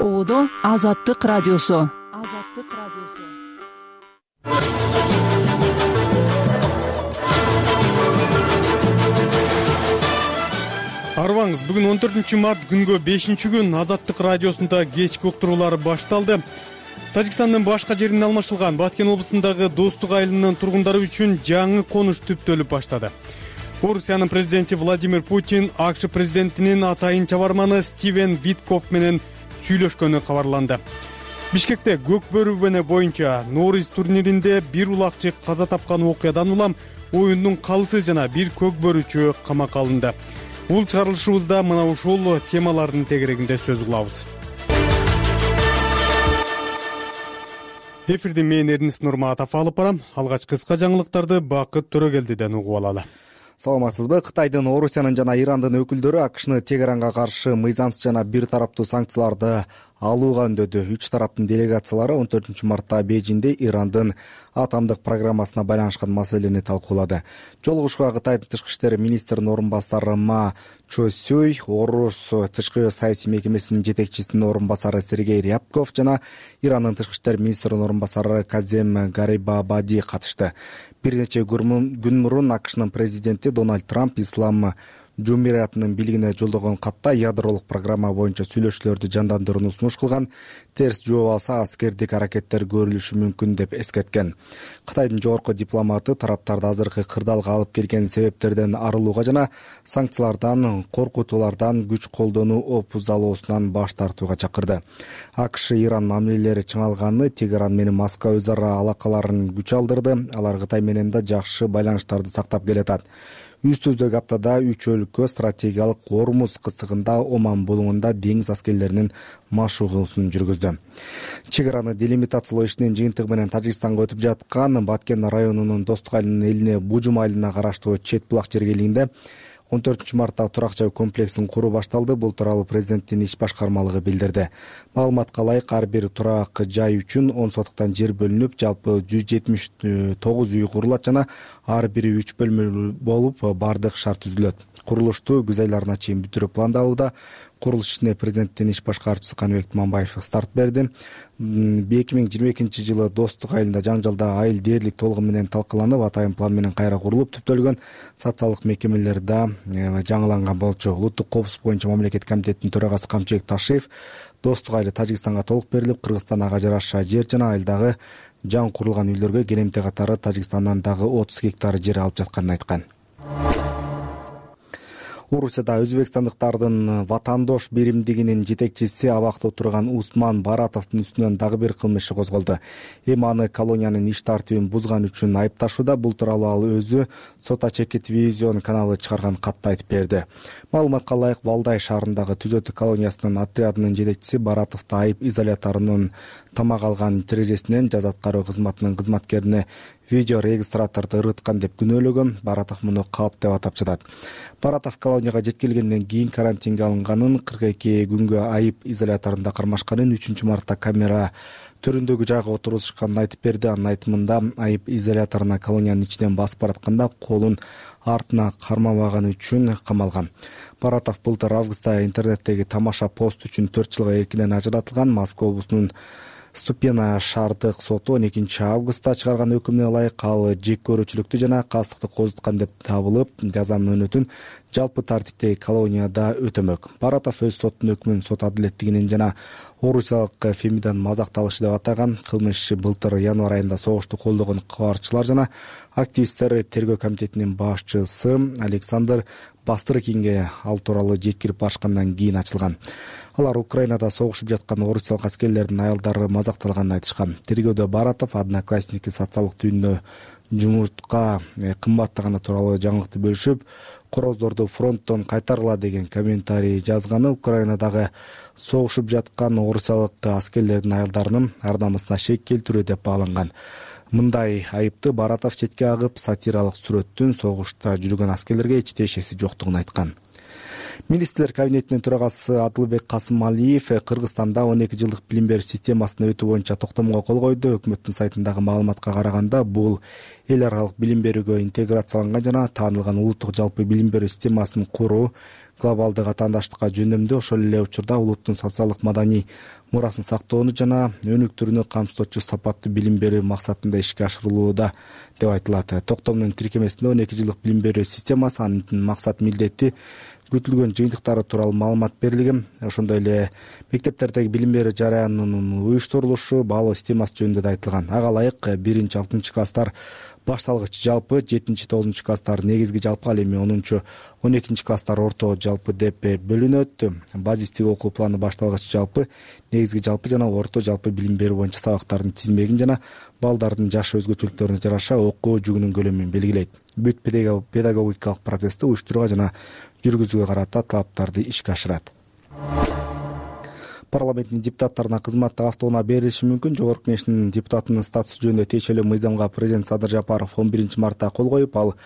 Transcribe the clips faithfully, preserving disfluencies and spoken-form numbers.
Оодо Азаттык радиосу. Азаттык радиосу. Арбаңыз, бүгүн он төртүнчү март күнгө бешинчи күн Азаттык радиосунда кечки уктуруулар башталды. Тажикстандын башка жеринен алмашылган Баткен облусундагы Достук айылынын тургундары үчүн жаңы конуш түптөлүп баштады. Орусиянын президенти Владимир Путин АКШ президентинин атайын чабарманы Стивен Виткоф менен сүйлөшкөнү кабарланды. Бишкекте көк бөрү боюнча Норис турниринде бир улакчы каза тапкан окуядан улам оюндун калысы жана бир көк бөрүчү камакка алынды. Бул чыгарылышыбызда мына ушул темалардын тегерегинде сөз кылабыз. Эфирди мен Эрнис Нурматов алып барам. Алгач кыска жаңылыктарды Бакыт Төрөгелдиден угуп алалы. Саламатсызбы? Кытайдын, Орусиянын жана Ирандын өкүлдөрү АКШны Тегеранга каршы мыйзамсыз жана бир тараптуу санкцияларды алууга үндөдү. Үч тараптын делегациялары он төртүнчү мартта Бейжиңде Ирандын атомдук программасына байланышкан маселени талкуулады. Жолугушууга Кытайдын тышкы иштер министринин орун басары Ма Чосюй, Орус тышкы саясий мекемесинин жетекчисинин орун басары Сергей Рябков жана Ирандын тышкы иштер министринин орун басары Казем Гарибабади катышты. Бир нече күн мурун АКШнын президенти Дональд Трамп Ислам Жумуриятынын бийлигине жолдогон катта ядролук программа боюнча сүйлөшүүлөрдү жандандырууну сунуш кылган, терс жооп алса аскердик аракеттер көрүлүшү мүмкүн деп эскерткен. Кытайдын жогорку дипломаты тараптарды азыркы кырдаалга алып келген себептерден арылууга жана санкциялардан, коркутуулардан, күч колдонуу опузалоосунан баш тартууга чакырды. АКШ-Иран мамилелери чыңалганы Тегеран менен Москва өз ара алакаларын күч алдырды. Алар Кытай менен да жакшы байланыштарды сактап келатат. Үстүздөгү аптада үч өлкө стратегиялык Ормуз кыстыгында Оман булуңунда деңиз аскерлеринин машыгуусун жүргүздү. Чек араны делимитациялоо ишинин жыйынтыгы менен Тажикстанга өтүп жаткан Баткен районунун Достук айылынын элине Бужум айылына караштуу Чет булак жергелигинде он төртүнчү мартта турак жай комплексин куруу башталды. Бул тууралуу президенттин иш башкармалыгы билдирди. Маалыматка ылайык, ар бир турак жай үчүн он сотуктан жер бөлүнүп, жалпы жүз жетимиш тогуз үй курулат жана ар бири үч бөлмөлүү болуп, бардык шарт түзүлөт. Курулушту күз айларына чейин бүтүрүү пландалууда. Курулуш ишине президенттин иш башкаруучусу Каныбек Туманбаев старт берди. эки миң жыйырма экинчи жылы Достук айылында жаңжалда айыл дээрлик толугу менен талкаланып, атайын план менен кайра курулуп түптөлгөн. Социалдык мекемелер да жаңыланган болчу. Улуттук коопсуздук боюнча мамлекеттик комитеттин төрагасы Камчыбек Ташиев Достук айылы Тажикстанга толук берилип, Кыргызстан ага жараша жер жана айылдагы жаңы курулган үйлөргө келемте катары Тажикстандан дагы отуз гектар жер алып жатканын айткан. Орусияда өзбекстандыктардын ватандош биримдигинин жетекчиси абакта отурган Усман Баратовдун үстүнөн дагы бир кылмыш иши козголду. Эми аны колониянын иш тартибин бузган үчүн айыпташууда. Бул тууралуу ал өзү Сота Чеки телевизион каналы чыгарган катта айтып берди. Маалыматка ылайык, Валдай шаарындагы Түзөтү колониясынын отрядынын жетекчиси Баратовду айып изоляторунун тамак алган терезесинен жаз аткаруу кызматынын кызматкерине видео регистраторду ырыткан деп күнөөлөгөн. Баратов муну калп деп атап жатат. Баратов колонияга жеткилгенден кийин карантинге алынганын, кырк эки күнгө айып изоляторунда кармашканын, үчүнчү мартта камера төрүндөгү жайга отургузушканын айтып берди. Анын айтымында айып изоляторуна колониянын ичинен басып баратканда колун артына кармабаганы үчүн камалган. Баратов былтыр августта интернеттеги тамаша пост үчүн төрт жылга эркинен ажыратылган. Москва облусунун Ступена шаардык соту он экинчи августта чыгарган өкүмүнө ылайык ал жек көрүүчүлүктү жана кастыкты козуткан деп табылып, жаза мөөнөтүн жалпы тартиптеги колонияда өтөмөк. Баратов өз соттун өкмүн сот адилеттигинин жана орусиялык Фемидан мазакталышы деп атаган. Кылмыш иши былтыр январь айында согушту колдогон кабарчылар жана активисттер тергөө комитетинин башчысы Александр Бастрыкинге ал тууралуу жеткирип барышкандан кийин ачылган. Алар Украинада согушуп жаткан орусиялык аскерлердин аялдары мазакталганын айтышкан. Тергөөдө Баратов Одноклассники социалдык түйүнүнө жумуртка кымбаттаганы тууралуу жаңылыкты бөлүшүп, короздорду фронттон кайтаргыла деген комментарий жазганы Украинадагы согушуп жаткан орусиялык аскерлердин аялдарынын ар намысына шек келтирүү деп бааланган. Мындай айыпты Баратов четке агып, сатиралык сүрөттүн согушта жүргөн аскерлерге эч тиешеси жоктугун айткан. Министрлер кабинетинин төрагасы Адылбек Касымалиев Кыргызстанда он эки жылдык билим берүү системасына өтүү боюнча токтомго кол койду. Өкмөттүн сайтындагы маалыматка караганда, бул эл аралык билим берүүгө интеграцияланган жана таанылган улуттук жалпы билим берүү системасын куруу, глобалдык атаандаштыкка жөндөмдүү, ошол эле учурда улуттун социалдык маданий мурасын сактоону жана өнүктүрүүнү камсыздоочу сапаттуу билим берүү максатында ишке ашырылууда деп айтылат. Токтомдун тиркемесинде он эки жылдык билим берүү системасы, анын максат милдети, күтүлгөн жыйынтыктары тууралуу маалымат берилген. Ошондой эле мектептердеги билим берүү жараянынын уюштурулушу, баалоо системасы жөнүндө да айтылган. Ага ылайык биринчи алтынчы класстар башталгыч жалпы, жетинчи тогузунчу класстар негизги жалпы, ал эми онунчу он экинчи класстар орто жалпы деп бөлүнөт. Базистик окуу планы башталгыч жалпы, негизги жалпы жана орто жалпы билим берүү боюнча сабактардын тизмегин жана балдардын жаш өзгөчөлүктөрүнө жараша окуу жүгүнүн көлөмүн белгилейт. Бүт педагогикалык процессти уюштурууга жана жүргүзүүгө карата талаптарды ишке ашырат. Парламенттин депутаттарына кызматтык автоунаа берилиши мүмкүн. Жогорку Кеңештин депутатынын статусу жөнүндө тиешелүү мыйзамга президент Садыр Жапаров он биринчи мартта кол коюп, ал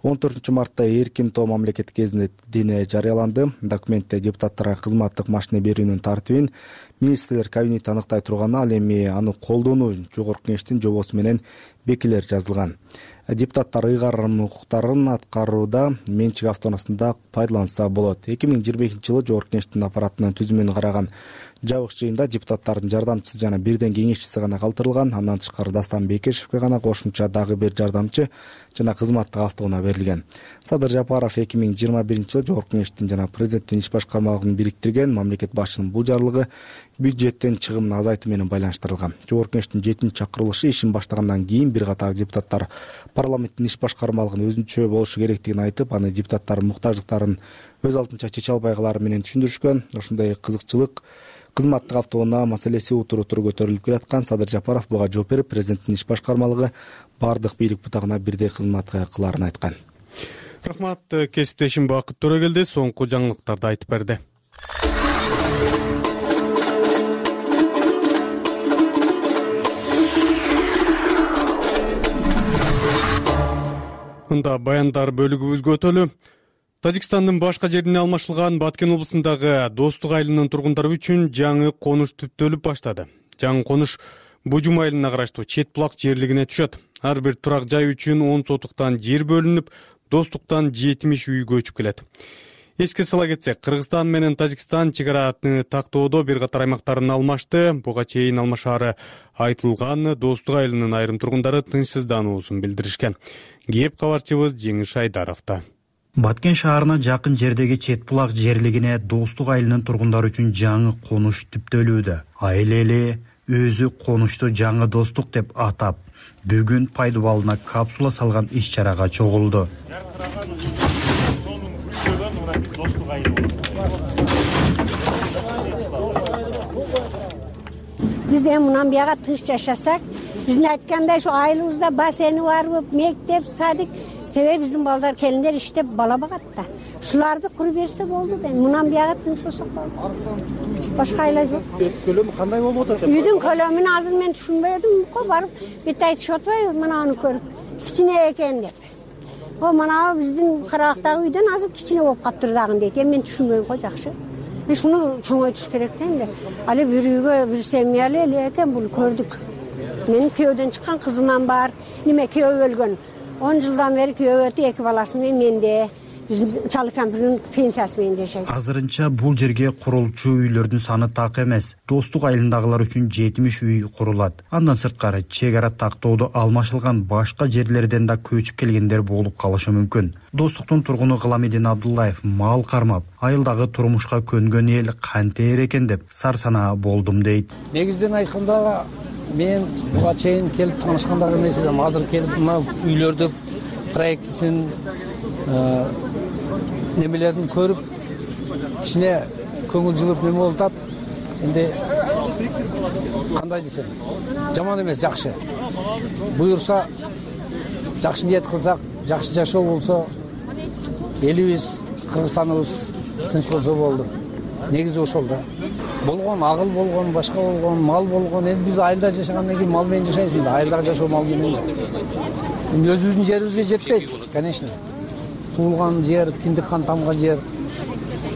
он төртүнчү мартта эркин тоо мамлекеттик гезитине жарыяланды. Документте депутаттарга кызматтык машина берүүнүн тартибин министрлер кабинети аныктай турганы, ал эми аны колдонуу Жогорку Кеңештин жобосу менен бекилер жазылган. Депутаттар ыйгарым укуктарын аткарууда менчик автоунаасында пайдаланса болот. эки миң жыйырма экинчи жылы Жогорку Кеңештин аппаратынын түзүмүн караган жабык жыйында депутаттардын жардамчысы жана бирден кеңешчиси гана калтырылган. Андан тышкары Дастан Бекешевке гана кошумча дагы бир жардамчы жана кызматтык автоунаа берилген. Садыр Жапаров эки миң жыйырма биринчи жылы Жогорку Кеңештин жана президенттин иш башкармалыгын бириктирген. Мамлекет башчысынын бул жарлыгы бюджеттен чыгымын азайтуу менен байланыштырылган. Жогорку Кеңештин жетинчи чакырылышы ишин баштагандан кийин бир катар депутаттар парламенттин иш башкармалыгын өзүнчө болушу керектигин айтып, аны депутаттар муктаждыктарын өз алдынча чече албайгылары менен түшүндүрүшкөн. Ошондой кызыкчылык кызматтык автоунаа маселеси утуру туру көтөрүлүп келаткан. Садыр Жапаров буга жооп берип, президенттин иш башкармалыгы бардык бийлик бутагына бирдей кызмат кыларын айткан. Рахмат, кесиптешим Бакыт Төрөгелди соңку жаңылыктарды айтып берди. Мында баяндар бөлүгүбүзгө өтөлү. Тажикстандын башка жерине алмашылган Баткен облусундагы Достук айылынын тургундары үчүн жаңы конуш түптөлүп баштады. Жаңы конуш Бужум айылына караштуу Чет булак жерлигине түшөт. Ар бир турак жай үчүн он сотуктан жер бөлүнүп, Достуктан жетимиш үй көчүп келет. Эске сала кетсек, Кыргызстан менен Тажикстан чек араны тактоодо бир катар аймактарын алмашты. Буга чейин алмашаары айтылган Достук айылынын айрым тургундары тынчсыздануусун билдиришкен. Кеп кабарчыбыз Жеңиш Айдаровда. Баткен шаарына жакын жердеги Чет булак жерлигине Достук айылынын тургундары үчүн жаңы конуш түптөлүүдө. Айыл эли өзү конушту жаңы Достук деп атап, бүгүн пайдубалына капсула салган иш-чарага чогулду. Биз эми мындан бияга тынч жашасак, биздин айткандай ушу айылыбызда бассейни барбы, мектеп, садик, себеби биздин балдар келиндер иштеп бала багат да. Ушуларды куруп берсе болду да. Мындан бияга тынч болсок болду. Башка айла жок. Көлөмү кандай болуп атат? Үйдүн көлөмүн азыр мен түшүнбөй атам, ко барып бет айтышып атпайбы, мына аны көрүп. Кичине экен деп. О, мына биздин карабактагы үйдөн азыр кичине болуп каптыр дагы дейт. Эми мен түшүнбөйм го жакшы. Шуну чоңойтуш керек да энди. Али бир үйгө бир семьялы эле экен, бул көрдүк. Менин күйөөдөн чыккан кызыман бар, неме күйөө өлгөн. он жылдан бери күйөө өтүп, эки баласы менен менде. Биздин чалы кампирдин пенсиясы менен жашайт. Азырынча бул жерге курулчу үйлөрдүн саны так эмес. Достук айылындагылар үчүн жетимиш үй курулат. Андан сырткары чек ара тактоодо алмашылган башка жерлерден да көчүп келгендер болуп калышы мүмкүн. Достуктун тургуну Гыламедин Абдуллаев мал кармап, айылдагы турмушка көнгөн эл кантер экен деп сарсанаа болдум дейт. Негизден айтканда мен буга чейин келип таанышкандардын эмес элем. Азыр келип мына үйлөрдү проектисин немелерин көрүп, кичине көңүл жылып неме болуп атат. Энди кандай десем, жаман эмес, жакшы. Буюрса, жакшы ниет кылсак, жакшы жашоо болсо, элибиз, Кыргызстаныбыз тынч болсо болду. Негизи ошол да. Болгон агыл болгон, башка болгон, мал болгон. Эми биз айылда жашагандан кийин мал менен жашайсың да, айылдагы жашоо мал менен. Эми өзүбүздүн жерибизге жетпейт, конечно. Туулган жер, киндик кан тамган жер.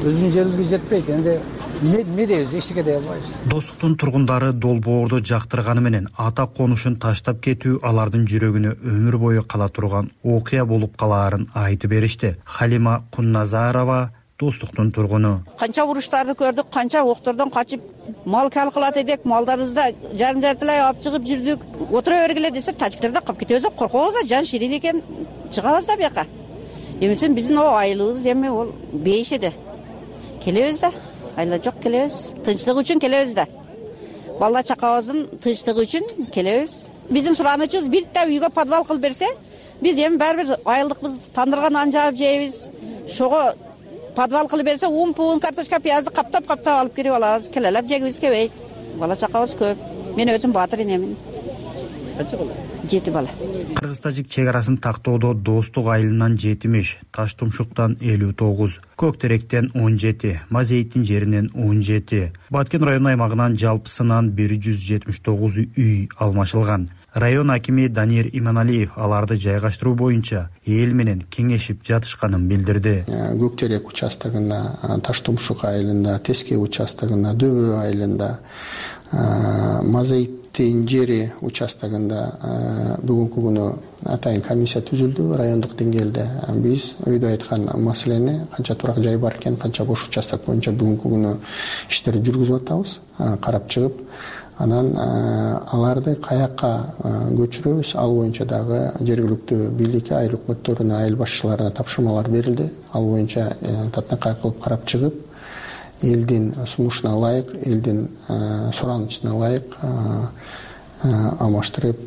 өзүбүздүн жерибизге жетпейт. Энди эмне дейбиз, эчтеке дей албайбыз. Достуктун тургундары долбоорду жактырганы менен ата конушун таштап кетүү алардын жүрөгүнө өмүр бою кала турган окуя болуп калаарын айтып беришти. Халима Кунназарова Достуктун тургуну. Канча уруштарды көрдүк, канча октордон качып мал кал кылат эдик, малдарыбызды жарым жартылай алып чыгып жүрдүк. Отура бергиле десе, тажиктарда калып кетебиз деп коркобуз да, жан ширин экен, чыгабыз да бияка. Эмесе биздин о айлыбыз эми ол бейиш эди. Келебиз да, айла жок келебиз. Тынчтык үчүн келебиз да. Бала чакабыздын тынчтыгы үчүн келебиз. Биздин суранычыбыз бир да үйгө подвал кылып берсе, биз эми баары бир айылдыкпыз, тандырган нан жаап жейбиз. Шого подвал кылып берсе, ун, пун, картошка, пиязды каптап-каптап алып кирип алабыз. Келелеп жегибиз келбейт. Бала чакабыз көп. Мен өзүм баатыр энемин. Канча бала? Жети бала. Кыргыз-тажик чек арасын тактоодо Достук айылынан жетимиш, Таш Тумшуктан элүү тогуз, Көк Теректен он жети, Мазейиттин жеринен он жети, Баткен району аймагынан жалпысынан бир жүз жетимиш тогуз үй алмашылган. Район акими Данир Иманалиев аларды жайгаштыруу боюнча эл менен кеңешип жатышканын билдирди. Көк Терек участогунда, Таш Тумшук айылында, Теске участогунда, Дөбө айылында, Мазейиттин жери участогунда бүгүнкү күнү атайын комиссия түзүлдү райондук деңгээлде. Биз өйдө айткан маселени, канча турак жай бар экен, канча бош участок боюнча бүгүнкү күнү иштерди жүргүзүп атабыз, карап чыгып. Анан аларды каякка көчүрөбүз, ал боюнча дагы жергиликтүү бийликке, айыл өкмөттөрүнө, айыл башчыларына тапшырмалар берилди. Ал боюнча татынакай кылып карап чыгып, элдин сунушуна ылайык, элдин суранычына ылайык алмаштырып,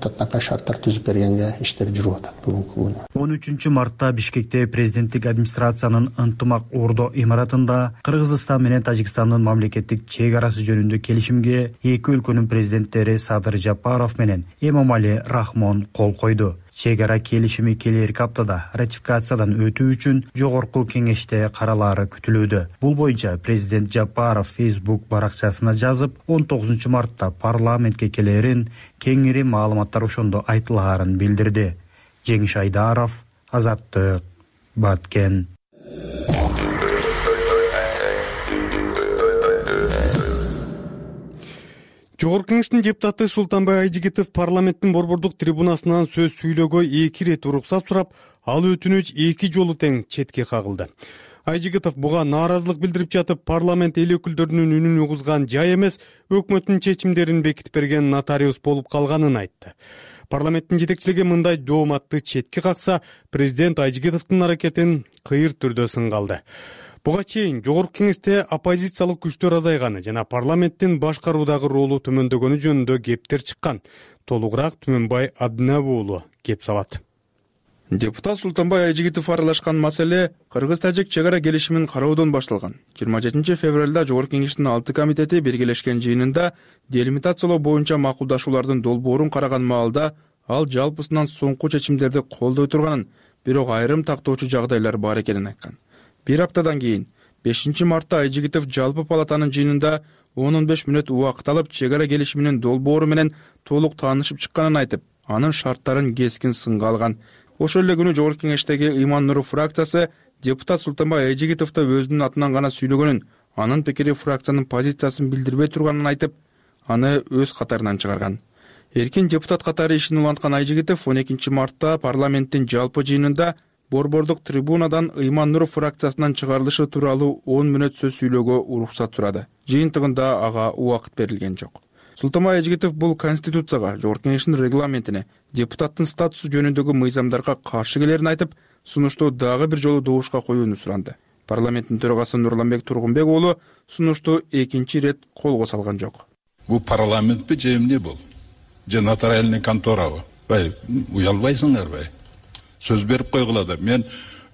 татынакай шарттар түзүп бергенге иштер жүрүп атат бүгүнкү күнү. он үчүнчү мартта Бишкекте президенттик администрациянын ынтымак ордо имаратында Кыргызстан менен Тажикстандын мамлекеттик чек арасы жөнүндө келишимге эки өлкөнүн президенттери Садыр Жапаров менен Эмомали Рахмон кол койду. Чек ара келишими келерки аптада ратификациядан өтүү үчүн жогорку кеңеште каралаары күтүлүүдө. Бул боюнча президент Жапаров Facebook баракчасына жазып, он тогузунчу мартта парламентке келерин, кеңири маалыматтар ошондо айтылаарын билдирди. Жеңиш Айдаров, Азаттык, Баткен. Жогорку кеңештин депутаты Султанбай Айжигитов парламенттин борбордук трибунасынан сөз сүйлөөгө эки ирет уруксат сурап, ал өтүнүч эки жолу тең четке кагылды. Айжигитов буга нааразылык билдирип жатып, парламент эл өкүлдөрүнүн үнүн угузган жай эмес, өкмөттүн чечимдерин бекитип берген нотариус болуп калганын айтты. Парламенттин жетекчилиги мындай дооматты четке какса, президент Айжигитовдун аракетин кыйыр түрдө сынга алды. Буга чейин жогорку кеңеште оппозициялык күчтөр азайганы жана парламенттин башкаруудагы ролу төмөндөгөнү жөнүндө кептер чыккан. Толугураак Түмөнбай Абдинабы уулу кеп салат. Депутат Султанбай Айжигитов аралашкан маселе Кыргыз-тажик чек ара келишимин кароодон башталган. жыйырма жетинчи февралда жогорку кеңештин алты комитети биргелешкен жыйынында делимитациялоо боюнча макулдашуулардын долбоорун караган маалда ал жалпысынан соңку чечимдерди колдой турганын, бирок айрым тактоочу жагдайлар бар экенин айткан. Бир аптадан кийин бешинчи мартта Айжигитов жалпы палатанын жыйынында он беш мүнөт убакыт алып чек ара келишиминин долбоору менен толук таанышып чыкканын айтып, анын шарттарын кескин сынга алган. Ошол эле күнү жогорку кеңештеги Иман Нуров фракциясы депутат Султанбай Айжигитовду өзүнүн атынан гана сүйлөгөнүн, анын пикири фракциянын позициясын билдирбей турганын айтып, аны өз катарынан чыгарган. Эркин депутат катары ишин уланткан Айжигитов он экинчи мартта парламенттин жалпы жыйынында борбордук трибунадан Иман Нуров фракциясынан чыгарылышы тууралуу он мүнөт сөз сүйлөөгө уруксат сурады. Жыйынтыгында ага убакыт берилген жок. Султанбай Айжигитов бул конституцияга, жогорку кеңештин регламентине, депутаттын статусу жөнүндөгү мыйзамдарга каршы келерин айтып, сунушту дагы бир жолу добушка коюуну суранды. Парламенттин төрагасы Нурланбек Тургунбек уулу сунушту экинчи ирет колго салган жок. Бул парламентпи же эмне бул? Же нотариальный конторабы? Бай, уялбайсыңарбы? Сөз берип койгула да. Мен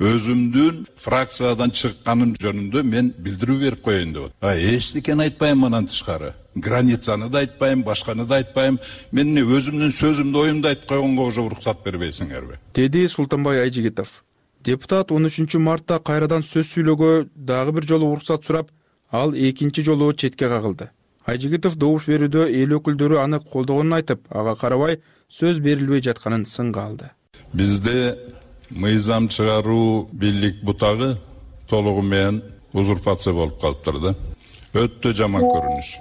өзүмдүн фракциядан чыкканым жөнүндө мен билдирүү берип коеюн деп. А эчтекени айтпайм анан тышкары. Границаны да айтпайм, башканы да айтпайм. Мен өзүмдүн сөзүмдү, оюмду айтып койгонго уже уруксат бербейсиңерби? Деди Султанбай Айжигитов. Депутат он үчүнчү мартта кайрадан сөз сүйлөөгө дагы бир жолу уруксат сурап, ал экинчи жолу четке кагылды. Айжигитов добуш берүүдө эл өкүлдөрү аны колдогонун айтып, ага карабай сөз берилбей жатканын сынга алды. Бизде мыйзам чыгаруу бийлик бутагы толугу менен узурпация болуп калыптыр да. Өтө жаман көрүнүш.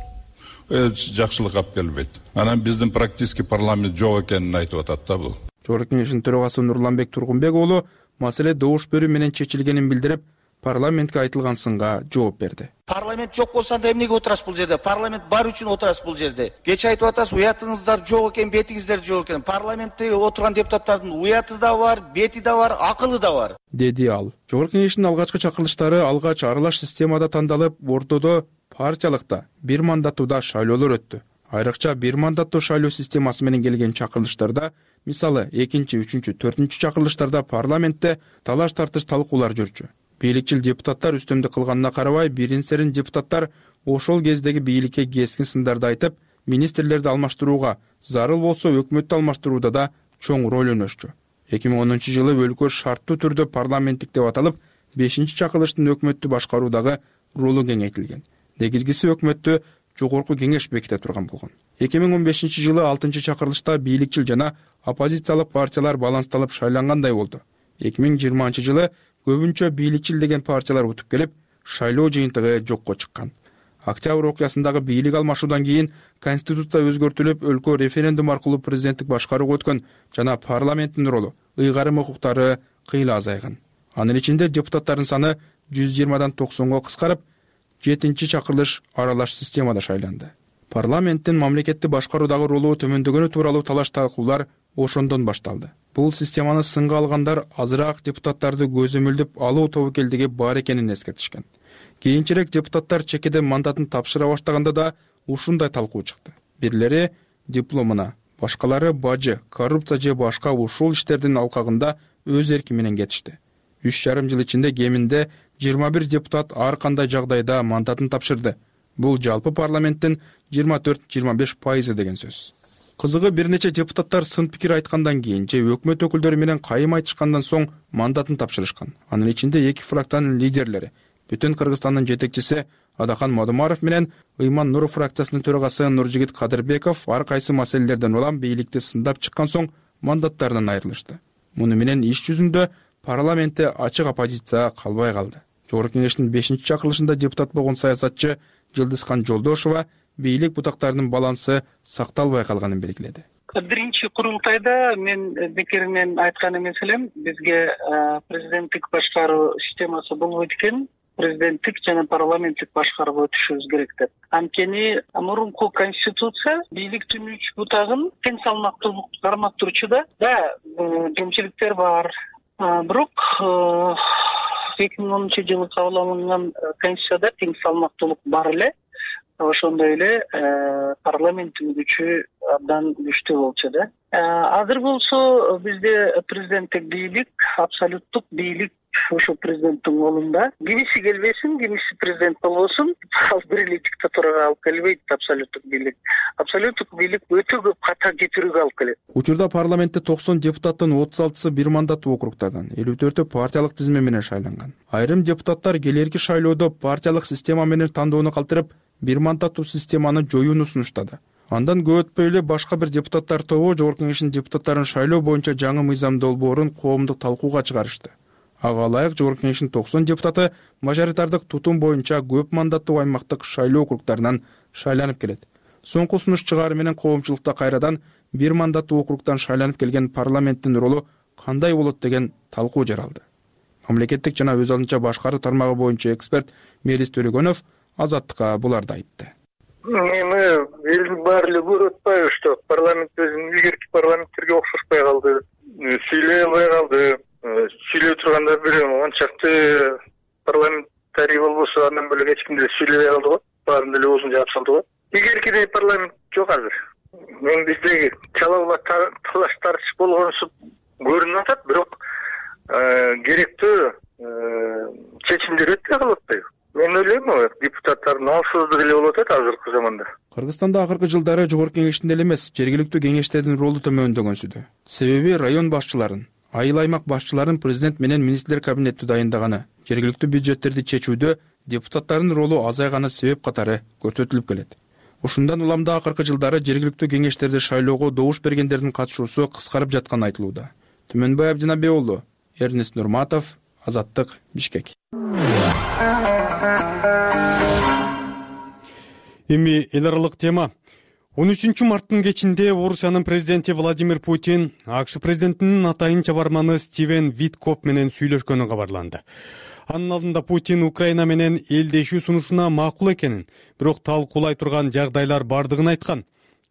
Жакшылык алып келбейт. Анан биздин практически парламент жок экенин айтып атат да бул. Жогорку кеңештин төрагасы Нурланбек Тургунбек уулу маселе добуш берүү менен чечилгенин билдирип, парламентке айтылган сынга жооп берди. Парламент жок болсо анда эмнеге отурасыз бул жерде? Парламент бар үчүн отурасыз бул жерде. Кечээ айтып атасыз, уятыңыздар жок экен, бетиңиздер жок экен. Парламентте отурган депутаттардын уяты да бар, бети да бар, акылы да бар, деди ал. Жогорку кеңештин алгачкы чакырылыштары алгач аралаш системада тандалып, ортодо партиялыкта бир мандаттуу шайлоолор өттү. Айрыкча бир мандаттуу шайлоо системасы менен келген чакырылыштарда, мисалы экинчи, үчүнчү, төртүнчү чакырылыштарда парламентте талаш тартыш талкуулар жүрчү. Бийликчил депутаттар үстөмдүк кылганына карабай, бирин-серин депутаттар ошол кездеги бийликке кескин сындарды айтып, министрлерди алмаштырууга, зарыл болсо өкмөттү алмаштырууда да чоң роль өнөшчү. эки миң онунчу жылы өлкө шарттуу түрдө парламенттик деп аталып, бешинчи чакырылыштын өкмөттү башкаруудагы ролу кеңейтилген. Негизгиси өкмөттү жогорку кеңеш беките турган болгон. эки миң он бешинчи жылы алтынчы чакырылышта бийликчил жана оппозициялык партиялар балансталып шайлангандай болду. эки миң жыйырманчы жылы көбүнчө бийликчил деген партиялар утуп келип, шайлоо жыйынтыгы жокко чыккан. Октябрь окуясындагы бийлик алмашуудан кийин конституция өзгөртүлүп, өлкө референдум аркылуу президенттик башкарууга өткөн жана парламенттин ролу, ыйгарым укуктары кыйла азайган. Анын ичинде депутаттардын саны жүз жыйырмадан токсонго кыскарып, жетинчи чакырылыш аралаш системада шайланды. Парламенттин мамлекетти башкаруудагы ролу төмөндөгөнү тууралуу талаш талкуулар ошондон башталды. Бул системаны сынга алгандар азыраак депутаттарды көзөмөлдөп алуу тобокелдиги бар экенин эскертишкен. Кийинчерээк депутаттар чекеде мандатын тапшыра баштаганда да ушундай талкуу чыкты. Бирлери дипломуна, башкалары бажы, коррупция же башка ушул иштердин алкагында өз эрки менен кетишти. үч жарым жыл ичинде кеминде жыйырма бир депутат ар кандай жагдайда мандатын тапшырды. Бул жалпы парламенттин жыйырма төрт жыйырма беш пайызы деген сөз. Кызыгы, бир нече депутаттар сын пикир айткандан кийин же өкмөт өкүлдөрү менен кайым айтышкандан соң мандатын тапшырышкан. Анын ичинде эки фракциянын лидерлери, Бүтүн Кыргызстандын жетекчиси Адакан Мадумаров менен Ыйман Нуров фракциясынын төрагасы Нуржигит Кадырбеков ар кайсы маселелерден улам бийликти сындап чыккан соң мандаттарынан айрылышты. Муну менен иш жүзүндө парламентте ачык оппозиция калбай калды. Жогорку кеңештин бешинчи чакырылышында депутат болгон саясатчы Жылдызкан Жолдошова бийлик бутактарынын балансы сакталбай калганын белгиледи. Биринчи курултайда мен бекеринен айткан эмес элем, бизге президенттик башкаруу системасы болбойт экен, президенттик жана парламенттик башкарууга өтүшүбүз керек деп. Анткени мурунку конституция бийликтин үч бутагын тең салмактуулук кармактыруучу да, да кемчиликтер бар. Бирок эки миң онунчу жылы кабыл алынган конституцияда тең салмактуулук бар эле. Ошондой эле парламенттин күчү абдан күчтүү болчу да. Азыр болсо бизде президенттик бийлик, абсолюттук бийлик ошо президенттин колунда. Кимиси келбесин, кимиси президент болбосун, ал бир эле диктатурага алып келбейт абсолюттук бийлик. Абсолюттук бийлик өтө көп ката кетирүүгө алып келет. Учурда парламентте токсон депутаттын отуз алтысы бир мандаттуу округтардан, элүү төртү партиялык тизме менен шайланган. Айрым депутаттар келерки шайлоодо партиялык система менен тандоону калтырып, бир мандаттуу системаны жоюуну сунуштады. Андан көп өтпөй эле башка бир депутаттар тобу Жогорку кеңештин депутаттарын шайлоо боюнча жаңы мыйзам долбоорун коомдук талкууга чыгарышты. Ага ылайык Жогорку кеңештин токсон депутаты мажоритардык тутум боюнча көп мандаттуу аймактык шайлоо округтарынан шайланып келет. Соңку сунуш чыгаары менен коомчулукта кайрадан бир мандаттуу округтан шайланып келген парламенттин ролу кандай болот деген талкуу жаралды. Мамлекеттик жана өз алдынча башкаруу тармагы боюнча эксперт Мелис Төлөгөнов Азаттыкка буларды айтты. Эми элдин баары эле көрүп атпайбы, что парламент өзүнүн илгерки парламенттерге окшошпой калды, сүйлөй албай калды. Сүйлөй турганда бир ончакты парламентарий болбосо андан бөлөк эч ким деле сүйлөбөй калды го. Баарын деле оозун жаап салды го. Илгеркидей парламент жок азыр. Мен биздеги чалаулар талаш тартыш болгонусу көрүнүп атат, бирок керектүү чечимдер өтпөй калып атпайбы? Мен ойлойм, депутаттардын алсыздыгы эле болуп атат азыркы заманда. Кыргызстанда акыркы жылдары Жогорку кеңештин эле эмес, жергиликтүү кеңештердин ролу төмөндөгөнсүдө. Себеби район башчыларын, айыл аймак башчыларын президент менен министрлер кабинети дайындаганы, жергиликтүү бюджеттерди чечүүдө депутаттардын ролу азайганы себеп катары көрсөтүлүп келет. Ушундан улам да акыркы жылдары жергиликтүү кеңештерди шайлоого добуш бергендердин катышуусу кыскарып жатканы айтылууда. Түмөнбай Абдинабек уулу, Эрнест Нурматов, Азаттык, Бишкек. Эми эл аралык тема. он үчүнчү марттын кечинде Орусиянын президенти Владимир Путин АКШ президентинин атайын чабарманы Стивен Виткоф менен сүйлөшкөнү кабарланды. Анын алдында Путин Украина менен элдешүү сунушуна макул экенин, бирок талкуулай турган жагдайлар бардыгын айткан.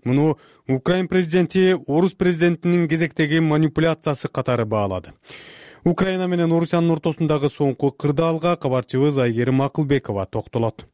Муну Украин президенти орус президентинин кезектеги манипуляциясы катары баалады. Украина менен Орусиянын ортосундагы соңку кырдаалга кабарчыбыз Айгерим Акылбекова токтолот.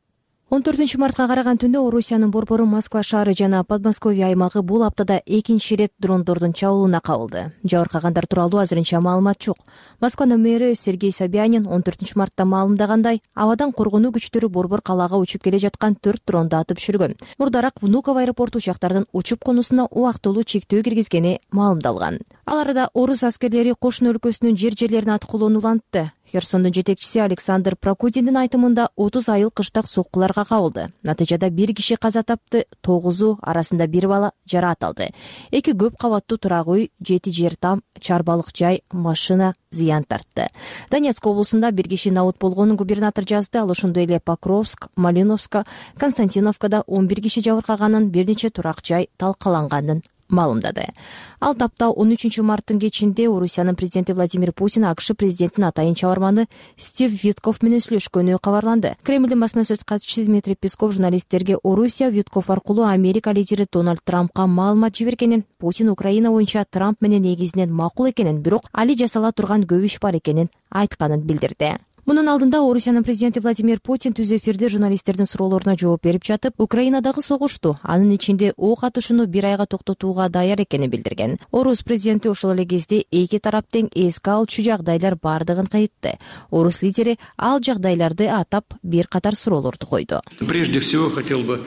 он төртүнчү мартка караган түндө Орусиянын борбору Москва шаары жана Подмосковье аймагы бул аптада экинчи ирет дрондордун чабуулуна кабылды. Жабыркагандар тууралуу азырынча маалымат жок. Москванын мэри Сергей Собянин он төртүнчү мартта маалымдагандай, абадан коргонуу күчтөрү борбор калаага учуп келе жаткан төрт дронду атып түшүргөн. Мурдараак Внуково аэропорту учактардын учуп конусуна убактылуу чектөө киргизгени маалымдалган. Ал арада орус аскерлери кошуна өлкөсүнүн жер жерлерин аткылоону улантты. Херсондун жетекчиси Александр Прокудиндин айтымында отуз айыл кыштак соккуларга кабылды. Натыйжада бир киши каза тапты, тогузу арасында бир бала жараат алды. Эки көп кабаттуу турак үй, жети жер там, чарбалык жай, машина зыян тартты. Донецк облусунда бир киши набут болгонун губернатор жазды. Ал ошондой эле Покровск, Малиновска, Константиновкада он бир киши жабыркаганын, бир нече турак жай талкаланганын маалымдады. Ал тапта он үчүнчү марттын кечинде Орусиянын президенти Владимир Путин АКШ президентинин атайын чабарманы Стив Виткоф менен сүйлөшкөнү кабарланды. Кремлдин басма сөз катчысы Дмитрий Песков журналисттерге Орусия Виткоф аркылуу Америка лидери Дональд Трампка маалымат жибергенин, Путин Украина боюнча Трамп менен негизинен макул экенин, бирок али жасала турган көп иш бар экенин айтканын билдирди. Мунун алдында Орусиянын президенти Владимир Путин түз эфирде журналисттердин суроолоруна жооп берип жатып, Украинадагы согушту, анын ичинде ок атышууну бир айга токтотууга даяр экенин билдирген. Орус президенти ошол эле кезде эки тарап тең эске алчу жагдайлар бардыгын айтты. Орус лидери ал жагдайларды атап бир катар суроолорду койду. Прежде всего хотел бы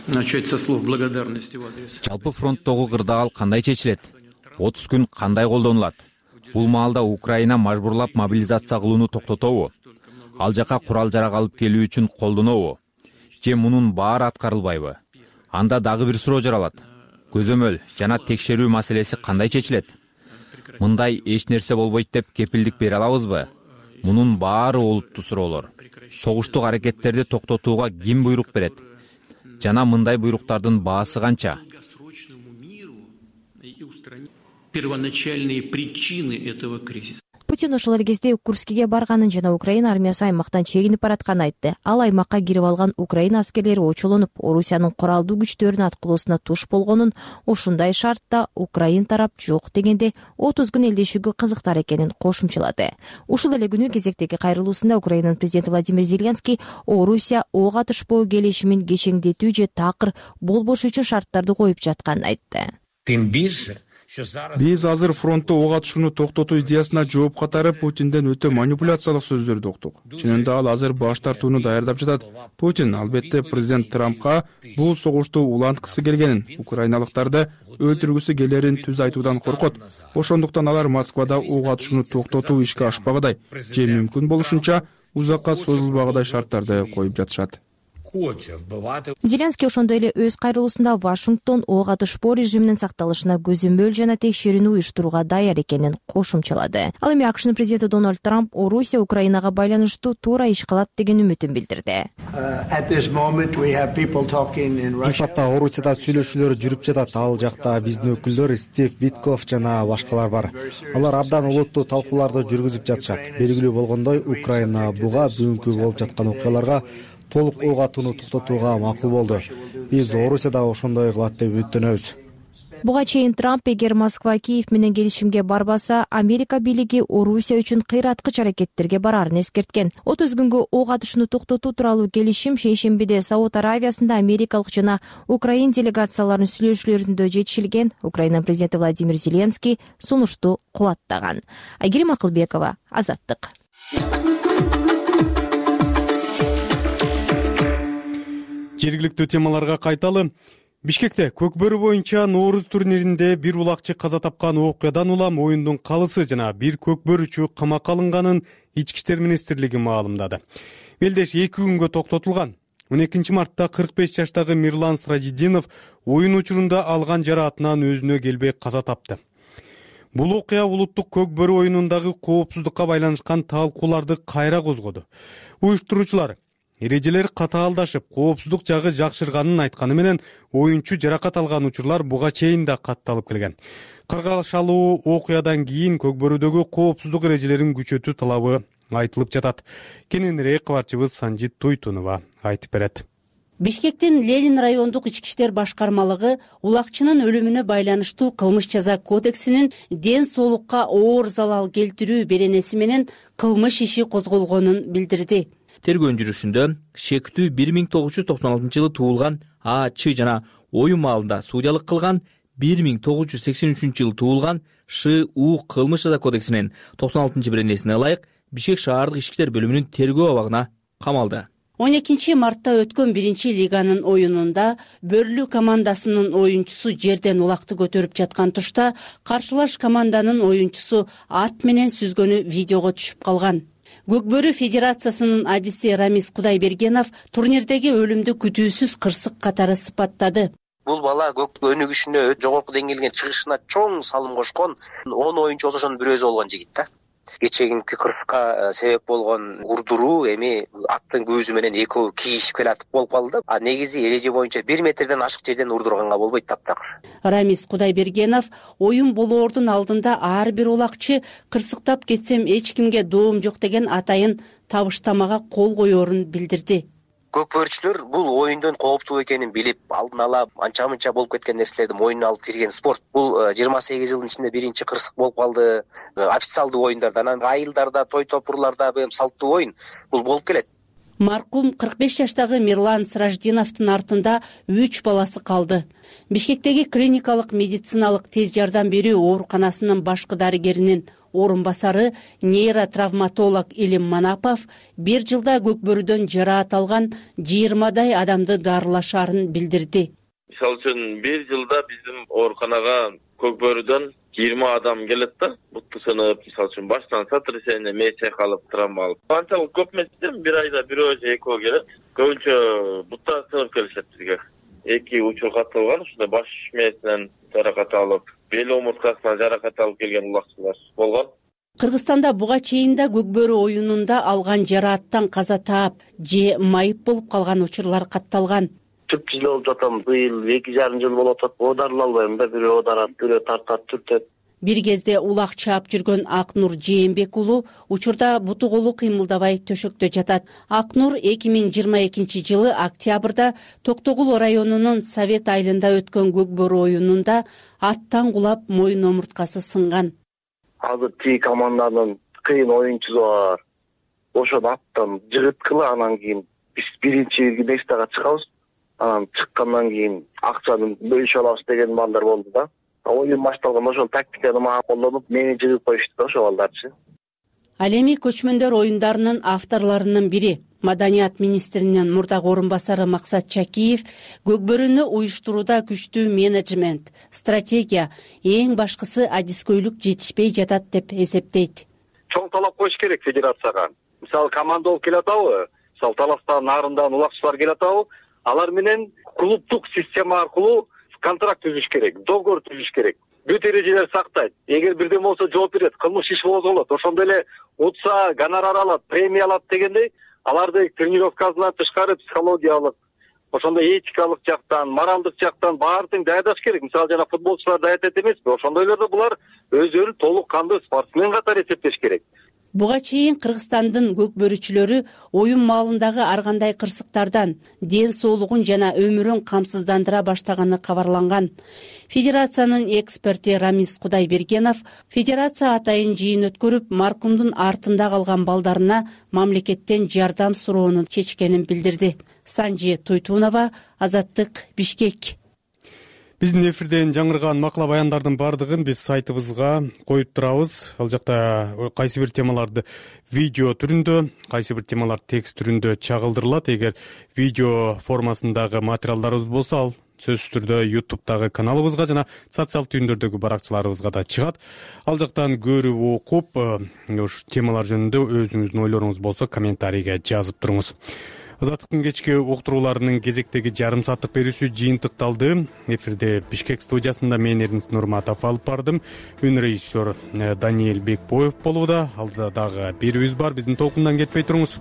начать со слов благодарности в адрес. Жалпы фронттогу кырдаал кандай чечилет? отуз күн кандай колдонулат? Бул маалда Украина мажбурлап мобилизация кылууну токтотобу? Ал жака курал-жарак алып келүү үчүн колдонобу? Же мунун баары аткарылбайбы? Анда дагы бир суроо жаралат. Көзөмөл жана текшерүү маселеси кандай чечилет? Мындай эч нерсе болбойт деп кепилдик бере алабызбы? Мунун баары олуттуу суроолор. Согуштук аракеттерди токтотууга ким буйрук берет? Жана мындай буйруктардын баасы канча? Первоначальные причины этого кризиса. Путин ошол эле кезде Курскиге барганын жана Украина армиясы аймактан чегинип баратканын айтты. Ал аймакка кирип алган Украина аскерлери очолонуп, Орусиянын куралдуу күчтөрүнүн аткылоосуна туш болгонун, ушундай шартта Украин тарап жок дегенде отуз күн элдешүүгө кызыктар экенин кошумчалады. Ушул эле күнү кезектеги кайрылуусунда Украинанын президенти Владимир Зеленский Орусия ок атышпоо келишимин кечеңдетүү же такыр болбош үчүн шарттарды коюп жатканын айтты. Тем бирже Биз азыр фронтто ок атышууну токтотуу идеясына жооп катары Путинден өтө манипуляциялык сөздөрдү уктук. Чынында ал азыр баш тартууну даярдап жатат. Путин албетте президент Трампка бул согушту уланткысы келгенин, украиналыктарды өлтүргүсү келерин түз айтуудан коркот. Ошондуктан алар Москвада ок атышууну токтотуу ишке ашпагыдай же мүмкүн болушунча узакка созулбагыдай шарттарды коюп жатышат. Зеленский ошондой эле өз кайрылуусунда Вашингтон ок атышпоо режиминин сакталышына көзөмөл жана текшерүүнү уюштурууга даяр экенин кошумчалады. Ал эми АКШнын президенти Дональд Трамп Орусия Украинага байланыштуу туура иш кылат деген үмүтүн билдирди. Бул тапта Орусияда сүйлөшүүлөр жүрүп жатат. Ал жакта биздин өкүлдөр Стив Виткоф жана башкалар бар. Алар абдан олуттуу талкууларды жүргүзүп жатышат. Белгилүү болгондой, Украина буга бүгүнкү болуп жаткан окуяларга толук ок атууну токтотууга макул болду. Биз Орусияда ошондой кылат деп үмүттөнөбүз. Буга чейин Трамп эгер Москва Киев менен келишимге барбаса, Америка бийлиги Орусия үчүн кыйраткыч аракеттерге барарын эскерткен. отуз күнгө ок атышууну токтотуу тууралуу келишим шейшембиде Сауд Аравиясында америкалык жана украин делегацияларынын сүйлөшүүлөрүндө жетишилген. Украина президенти Владимир Зеленский сунушту кубаттаган. Айгерим Акылбекова, Азаттык. Жергиликтүү темаларга кайталы. Бишкекте көкбөрү боюнча Нооруз турниринде бир улакчы каза тапкан окуядан улам оюндун калысы жана бир көкбөрүчү камакка алынганын Ички иштер министрлиги маалымдады. Белдеш эки күнгө токтотулган. он экинчи мартта кырк беш жаштагы Мирлан Сражидинов оюн учурунда алган жараатынан өзүнө келбей каза тапты. Бул окуя улуттук көкбөрү оюнундагы коопсуздукка байланышкан талкууларды кайра козгоду. Уюштуруучулар эрежелер катаалдашып, коопсуздук жагы жакшырганын айтканы менен оюнчу жаракат алган учурлар буга чейин да катталып келген. Каргашалуу окуядан кийин Көкбөрүдөгү коопсуздук эрежелерин күчөтүү талабы айтылып жатат. Кененирээк кабарчыбыз Санжит Туйтунова айтып берет. Бишкектин Ленин райондук ички иштер башкармалыгы улакчынын өлүмүнө байланыштуу кылмыш жаза кодексинин ден соолукка оор залал келтирүү беренеси менен кылмыш иши козголгонун билдирди. Тергөө жүрүшүндө шектүү бир миң тогуз жүз токсон алтынчы жылы туулган А Ч жана оюн маалында судьялык кылган бир миң тогуз жүз сексен үчүнчү жылы туулган Ш У кылмыш жаза кодексинин токсон алтынчы беренесине ылайык Бишкек шаардык ички иштер бөлүмүнүн тергөө абагына камалды. он экинчи мартта өткөн биринчи лиганын оюнунда Бөрлүү командасынын оюнчусу жерден улакты көтөрүп жаткан тушта каршылаш команданын оюнчусу ат менен сүзгөнү видеого түшүп калган. Көкбөрү федерациясынын адиси Рамис Кудайбергенов турнирдеги өлүмдү күтүүсүз кырсык катары сыпаттады. Бул бала көк өнүгүшүнө жогорку деңгээлге чыгышына чоң салым кошкон он оюнчу болсо ошонун бирөөсү болгон жигит да. Кечегинки кырсыкка себеп болгон урдуруу эми аттын көзү менен экөө кийишип келатып болуп калды да. А негизи эреже боюнча бир метрден ашык жерден урдурганга болбойт таптакыр. Рамис Кудайбергенов оюн болоордун алдында ар бир улакчы кырсыктап кетсем эч кимге доом жок деген атайын табыштамага кол коерун билдирди. Көкбөрүчүлөр бул оюндун кооптуу экенин билип, алдын ала анча-мынча болуп кеткен нерселерди мойнуна алып кирген спорт. Бул жыйырма сегиз жылдын ичинде биринчи кырсык болуп калды. Официалдуу оюндарда, анан айылдарда, той топурларда бул салттуу оюн бул болуп келет. Маркум кырк беш жаштагы Мирлан Сраждиновдун артында үч баласы калды. Бишкектеги клиникалык медициналык тез жардам берүү ооруканасынын башкы дарыгеринин орун басары нейротравматолог Илим Манапов бир жылда Көкбөрүдөн жараат алган жыйырмадай адамды дарылашаарын билдирди. Мисалы үчүн бир жылда биздин ооруканага Көкбөрүдөн жыйырма адам келет да, бутту сынып, мисалы үчүн баштан сотрясение, мээ чайкалып, травма алып. Анчалык көп эмес, бир айда бирөө же экөө келет. Көбүнчө бутта сынып келишет бизге. Эки учур катталган, ушундай баш мээсинен жаракат алып, бел омурткасынан жаракат алып келген улакчылар болгон. Кыргызстанда буга чейин да Көкбөрү оюнунда алган жарааттан каза таап же майып болуп калган учурлар катталган. Төрт жыл болуп жатам, быйыл эки жарым жыл болуп атат. Оодарыла албайм да, бирөө оодарат, бирөө тартат, түртөт. Бир кезде улак чаап жүргөн Акнур Жээнбек уулу учурда буту колу кыймылдабай төшөктө жатат. Акнур эки миң жыйырма экинчи жылы октябрда Токтогул районунун Совет айылында өткөн Көкбөрү оюнунда аттан кулап моюн омурткасы сынган. Азыр тиги команданын кыйын оюнчусу бар. Ошол аттан жыгыткыла, анан кийин биз биринчи нестага чыгабыз. Анан чыккандан кийин акчаны бөлүшө алабыз деген балдар болду да. Оюн башталган ошол тактиканы мага колдонуп, мени жыгып коюшту да ошол балдарчы. Ал эми көчмөндөр оюндарынын авторлорунун бири, Маданият министринин мурдагы орун басары Максат Чакиев Көкбөрүнү уюштурууда күчтүү менеджмент, стратегия, эң башкысы адискөйлүк жетишпей жатат деп эсептейт. Чоң талап коюш керек федерацияга. Мисалы команда болуп келатабы? Мисалы Таластан, Нарындан улакчылар келатабы? Алар менен клубдук система аркылуу контракт түзүш керек, договор түзүш керек. Бүт эрежелер сактайт. Эгер бирден болсо жооп берет, кылмыш иш козголот. Ошондой эле утса гонорар алат, премия алат дегендей, аларды тренировкасынан тышкары психологиялык, ошондой этикалык жактан, моралдык жактан баардыгын даярдаш керек. Мисалы жана футболчулар даярдайт эмеспи? Ошондойлордо булар өздөрүн толук кандуу спортсмен катары эсептеш керек. Буга чейин Кыргызстандын көкбөрүчүлөрү оюн маалындагы ар кандай кырсыктардан ден соолугун жана өмүрүн камсыздандыра баштаганы кабарланган. Федерациянын эксперти Рамис Кудайбергенов федерация атайын жыйын өткөрүп, маркумдун артында калган балдарына мамлекеттен жардам суроонун чечкенин билдирди. Санжи Туйтунова, Азаттык, Бишкек. Биздин эфирден жаңырган макала баяндардын баардыгын биз сайтыбызга коюп турабыз. Ал жакта кайсы бир темаларды видео түрүндө, кайсы бир темалар текст түрүндө чагылдырылат. Эгер видео формасындагы материалдарыбыз болсо, ал сөзсүз түрдө ютубтагы каналыбызга жана социалдык түйүндөрдөгү баракчаларыбызга да чыгат. Ал жактан көрүп окуп, ушу темалар жөнүндө өзүңүздүн ойлоруңуз болсо комментарийге жазып туруңуз. Азаттыктын кечки уктурууларынын кезектеги жарым сааттык берүүсү жыйынтыкталды. Эфирде Бишкек студиясында мен Эрнис Нурматов алып бардым. Үн режиссер Даниэль Бекбоев болууда. Алда дагы берүүбүз бар. Биздин толкундан кетпей туруңуз.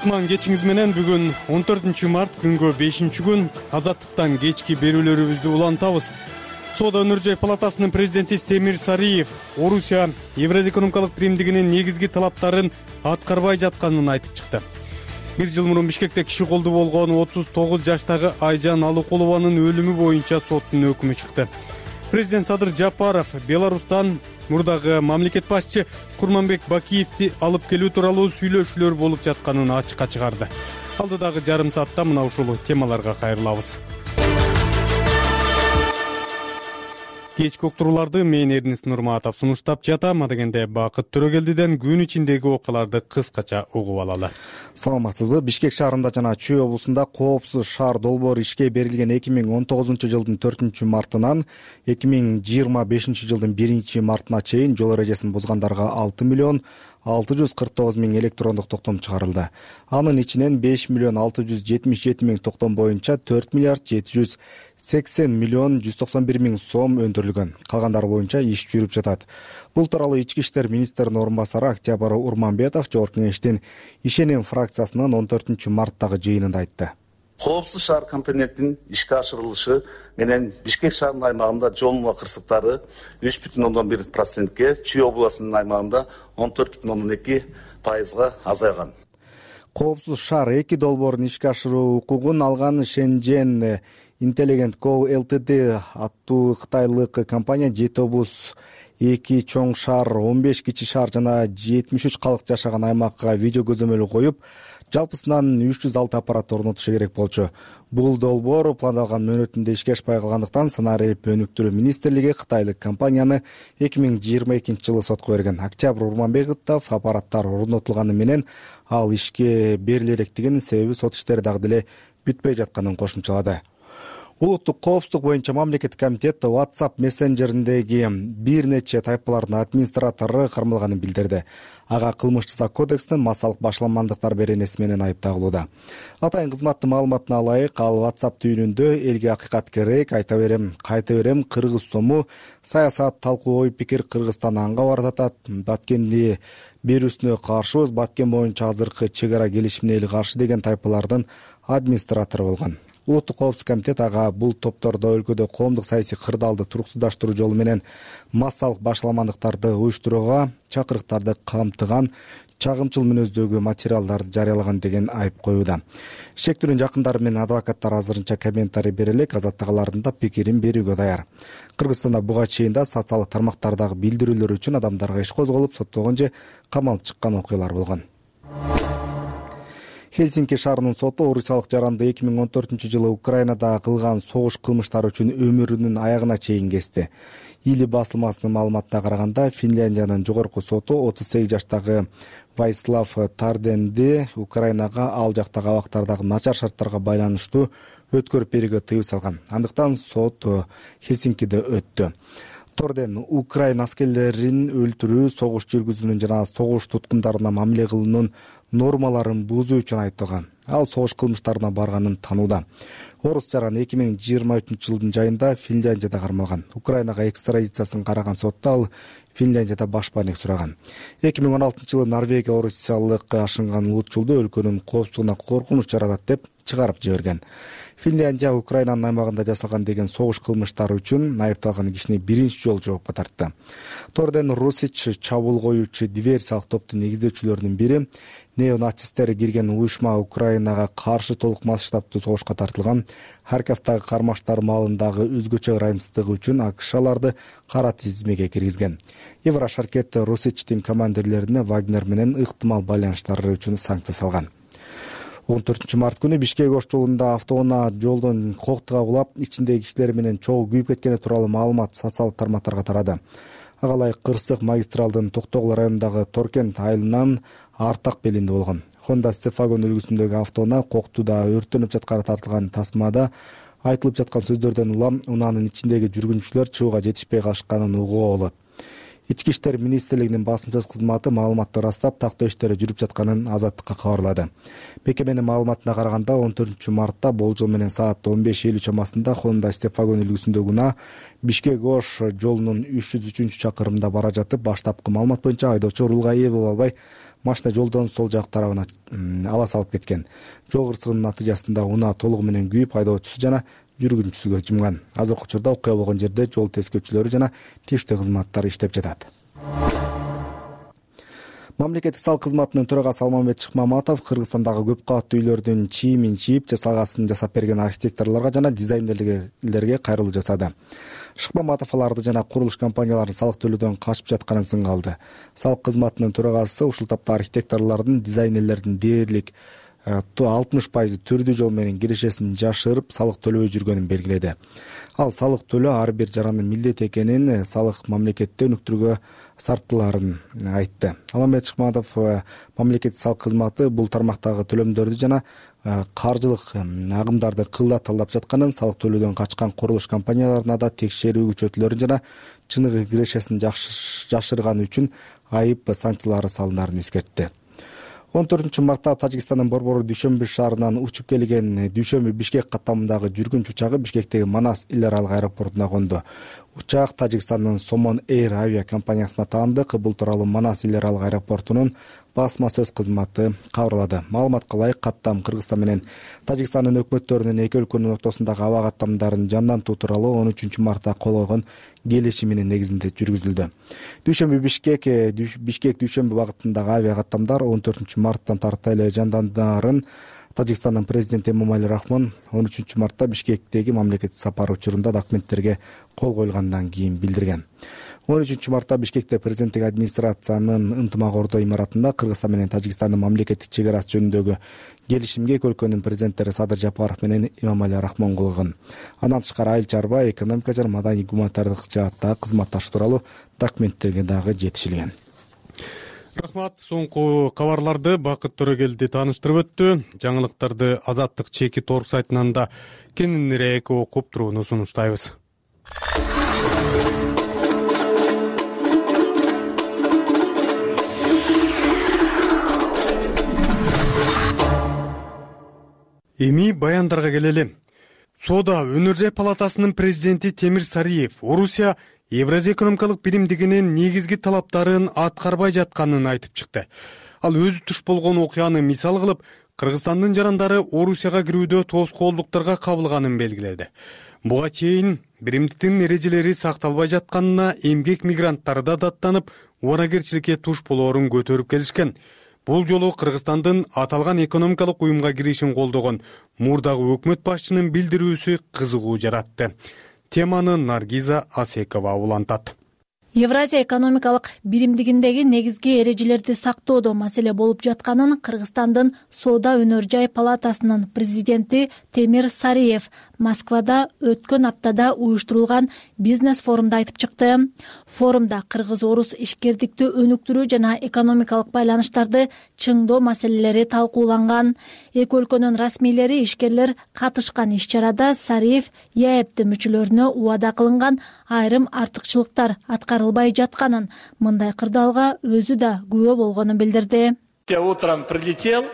кутман кечиңиз менен. Бүгүн он төртүнчү март күнгө бешинчи күн. Азаттыктан кечки берүүлөрүбүздү улантабыз. Соода өнөр жай палатасынын президенти Темир Сариев Орусия Евразия экономикалык биримдигинин негизги талаптарын аткарбай жатканын айтып чыкты. Бир жыл мурун Бишкекте киши колду болгон отуз тогуз жаштагы Айжан Алыкулованын өлүмү боюнча соттун өкүмү чыкты. Президент Садыр Жапаров Беларустан мурдагы мамлекет башчы Курманбек Бакиевди алып келүү тууралуу сүйлөшүүлөр болуп жатканын ачыкка чыгарды. Алдыдагы жарым саатта мына ушул темаларга кайрылабыз. Кечки уктурууларды мен Эрнис Нурматов сунуштап жатам. Адегенде Бакыт Төрөгелдиден күн ичиндеги окуяларды кыскача угуп алалы. Саламатсызбы? Бишкек шаарында жана Чүй облусунда коопсуз шаар долбоору ишке берилген эки миң он тогузунчу жылдын төртүнчү мартынан эки миң жыйырма бешинчи жылдын биринчи мартына чейин жол эрежесин бузгандарга алты миллион алты жүз кырк тогуз миң электрондук токтом чыгарылды. Анын ичинен беш миллион алты жүз жетимиш жети миң токтом боюнча төрт миллиард жети жүз сексен миллион жүз токсон бир миң сом өндүрүлгөн. Калгандары боюнча иш жүрүп жатат. Бул тууралуу Ички иштер министринин орун басары Октябрь Урманбетов Жогорку Кеңештин ишенем фракциясынын он төртүнчү марттагы жыйынында айтты. Коопсуз шаар компоненттин ишке ашырылышы менен Бишкек шаарынын аймагында жол муа кырсыктары үч бүтүн ондон бир процентке, Чүй областынын аймагында он төрт бүтүн ондон эки пайызга азайган. Коопсуз шаар эки долбоорун ишке ашыруу укугун алган Шенжен Intelligent Co Ltd аттуу кытайлык компания жети облус, эки чоң шаар, он беш кичи шаар жана жетимиш үч калк жашаган аймакка видео көзөмөлү коюп, жалпысынан үч жүз алты аппарат орнотушу керек болчу. Бул долбоор пландалган мөөнөтүндө ишке ашпай калгандыктан Санарип өнүктүрүү министрлиги кытайлык компанияны эки миң жыйырма экинчи жылы сотко берген. Октябрь Урманбетов аппараттар орнотулганы менен ал ишке бериле электигин, себеби сот иштери дагы деле бүтпөй жатканын кошумчалады. Улуттук коопсуздук боюнча мамлекеттик комитет WhatsApp мессенджериндеги бир нече тайпалардын администратору кармалганын билдирди. Ага кылмыш жаза кодексинин массалык башаламандыктар беренеси менен айып тагылууда. Атайын кызматтын маалыматына ылайык, ал WhatsApp түйүнүндө элге акыйкат керек, айта берем, кайта берем, кыргыз сому, саясат, талкуу, ой пикир, Кыргызстан анга бардатат, Баткенди берүүсүнө каршыбыз, Баткен боюнча азыркы чек ара келишимине эл каршы деген тайпалардын администратору болгон. Улуттук коопсуздук комитет ага бул топтордо өлкөдө коомдук саясий кырдаалды туруксуздаштыруу жолу менен массалык башаламандыктарды уюштурууга чакырыктарды камтыган чагымчыл мүнөздөгү материалдарды жарыялаган деген айып коюуда. Шектүүнүн жакындары менен адвокаттар азырынча комментарий бере элек, азаттыгалардын да пикирин берүүгө даяр. Кыргызстанда буга чейин да социалдык тармактардагы билдирүүлөр үчүн адамдарга иш козголуп, соттолгон же камалып чыккан окуялар болгон. Хельсинки шаарынын соту орусиялык жаранды эки миң он төртүнчү жылы Украинада кылган согуш кылмыштары үчүн өмүрүнүн аягына чейин кести. Или басылмасынын маалыматына караганда, Финляндиянын жогорку соту отуз сегиз жаштагы Вайслав Тарденди Украинага ал жактагы абактардагы начар шарттарга байланыштуу өткөрүп берүүгө тыюу салган. Андыктан сот Хельсинкиде өттү. Торден Украина аскерлерин өлтүрүү, согуш жүргүзүүнүн жана согуш туткундарына мамиле кылуунун нормаларын бузуу үчүн айыпталган. Ал согуш кылмыштарына барганын танууда. Орус жаран эки миң жыйырма үчүнчү жылдын жайында Финляндияда кармалган. Украинага экстрадициясын караган сотто ал Финляндияда башпаанек сураган. эки миң он алтынчы жылы Норвегия орусиялык ашынган улутчулду өлкөнүн коопсуздугуна коркунуч жаратат деп чыгарып жиберген. Финляндия Украинанын аймагында жасалган деген согуш кылмыштары үчүн айыпталган кишини биринчи жолу жоопко тартты. Торден Русич чабуул коюучу диверсиялык топтун негиздөөчүлөрүнүн бири, неонацисттер кирген уюшма Украинага каршы толук масштабтуу согушка тартылган. Харьковдагы кармаштар маалындагы өзгөчө ырайымсыздыгы үчүн АКШ аларды кара тизмеге киргизген. Еврошаркет Русичтин командирлерине Вагнер менен ыктымал байланыштары үчүн санкция салган. он төртүнчү март күнү Бишкек ош жолунда автоунаа жолдон коктуга кулап, ичиндеги кишилер менен чогуу күйүп кеткени тууралуу маалымат социалдык тармактарга тарады. Ага ылайык Кырсык магистралдын Токтогул районундагы Торкент айылынан Артак белинде болгон. Honda Stefan үлгүсүндөгү автоунаа коктууда өрттөнүп жатканы тартылган тасмада айтылып жаткан сөздөрдөн улам унаанын ичиндеги жүргүнчүлөр чыгууга жетишпей калышканын угууга болот. Ички иштер министрлигинин басым сөз кызматы маалыматты ырастап, тактоо иштери жүрүп жатканын Азаттыкка кабарлады. Мекеменин маалыматына караганда он төртүнчү мартта болжол менен саат он беш элүү чамасында Honda Step-Wagon үлгүсүндөгү унаа Бишкек-Ош жолунун үч жүз үчүнчү чакырымында бара жатып, баштапкы маалымат боюнча айдоочу рулга ээ боло албай, машина жолдон сол жак тарабына ала салып кеткен. Жол кырсыгынын натыйжасында унаа толугу менен күйүп, айдоочусу жана жүргүнчүсү жумган. Азыркы учурда окуя болгон жерде жол тескөөчүлөрү жана тийиштүү кызматтар иштеп жатат. Мамлекеттик салык кызматынын төрагасы Алмамбет Шыкмаматов Кыргызстандагы көп кабаттуу үйлөрдүн чийимин чийип, жасалгасын жасап берген архитекторлорго жана дизайнерлерге кайрылуу жасады. Шыкмаматов аларды жана курулуш компанияларын салык төлөөдөн качып жатканын сынга алды. Салык кызматынын төрагасы ушул тапта архитекторлордун, дизайнерлердин дээрлик алтымыш пайызы түрдүү жол менен кирешесин жашырып, салык төлөбөй жүргөнүн белгиледи. Ал салык төлөө ар бир жарандын милдети экенин, салык мамлекетте өнүктүрүүгө сарптыларын айтты. Алмамбет Шыкмаматов мамлекеттик салык кызматы бул тармактагы төлөмдөрдү жана каржылык агымдарды кылда талдап жатканын, салык төлөөдөн качкан курулуш компанияларына да текшерүү күчөтүлөрүн жана чыныгы кирешесин жашырганы үчүн айып санкциялары салынарын эскертти. он төртүнчү мартта Тажикстандын Борбору Дүйшөмбү шаарынан учуп келген Дүйшөмбү Бишкек каттамындагы жүргүнчү учагы Бишкектеги Манас эл аралык аэропортуна конду. Учак Тажикстандын Somon Air авиа компаниясына таандык. Бул тууралуу Манас эл аралык аэропортунун басма сөз кызматы кабарлады. Маалыматка ылайык, каттам Кыргызстан менен Тажикстандын өкмөттөрүнүн эки өлкөнүн ортосундагы аба каттамдарын жандантуу тууралуу он үчүнчү мартта кол койгон келишиминин негизинде жүргүзүлдү. Дүйшөмбү Бишкек Бишкек Дүйшөмбү багытындагы авиа каттамдар он төртүнчү марттан тарта эле жандандарын Тажикстандын президенти Эмомали Рахмон он үчүнчү мартта Бишкектеги мамлекеттик сапары учурунда документтерге кол коюлгандан кийин билдирген. он үчүнчү мартта Бишкекте президенттик администрациянын ынтымак ордо имаратында Кыргызстан менен Тажикстандын мамлекеттик чек арасы жөнүндөгү келишимге эки өлкөнүн президенттери Садыр Жапаров менен Эмомали Рахмон кол койгон. Андан тышкары айыл чарба, экономика жана маданий гуманитардык жааттагы кызматташуу тууралуу документтерге дагы жетишилген. Рахмат. Соңку кабарларды Бакыт Төрөгелди тааныштырып өттү. Жаңылыктарды Азаттык чеки торг сайтынан да кененирээк окуп турууну сунуштайбыз. Эми баяндарга келели. Соода өнөр жай палатасынын президенти Темир Сариев Орусия Евразия экономикалык биримдигинин негизги талаптарын аткарбай жатканын айтып чыкты. Ал өзү туш болгон окуяны мисал кылып, Кыргызстандын жарандары Орусияга кирүүдө тоскоолдуктарга кабылганын белгиледи. Буга чейин биримдиктин эрежелери сакталбай жатканына эмгек мигранттары да даттанып, убанакерчиликке туш болоорун көтөрүп келишкен. Бул жолу Кыргызстандын аталган экономикалык уюмга киришин колдогон мурдагы өкмөт башчынын билдирүүсү кызыгуу жаратты. Теманы Наргиза Асекова улантат. Евразия экономикалык биримдигиндеги негизги эрежелерди сактоодо маселе болуп жатканын Кыргызстандын Соода өнөр жай палатасынын президенти Темир Сариев Москвада өткөн аптада уюштурулган бизнес форумда айтып чыкты. Форумда кыргыз-орус ишкердикти өнүктүрүү жана экономикалык байланыштарды чыңдоо маселелери талкууланган. Эки өлкөнүн расмийлери, ишкерлер катышкан иш-чарада Сариев ЕАЭБ мүчөлөрүнө убада кылынган айрым артыкчылыктар аткарылбай жатканын, мындай кырдаалга өзү да күбө болгонун билдирди. Я утром прилетел,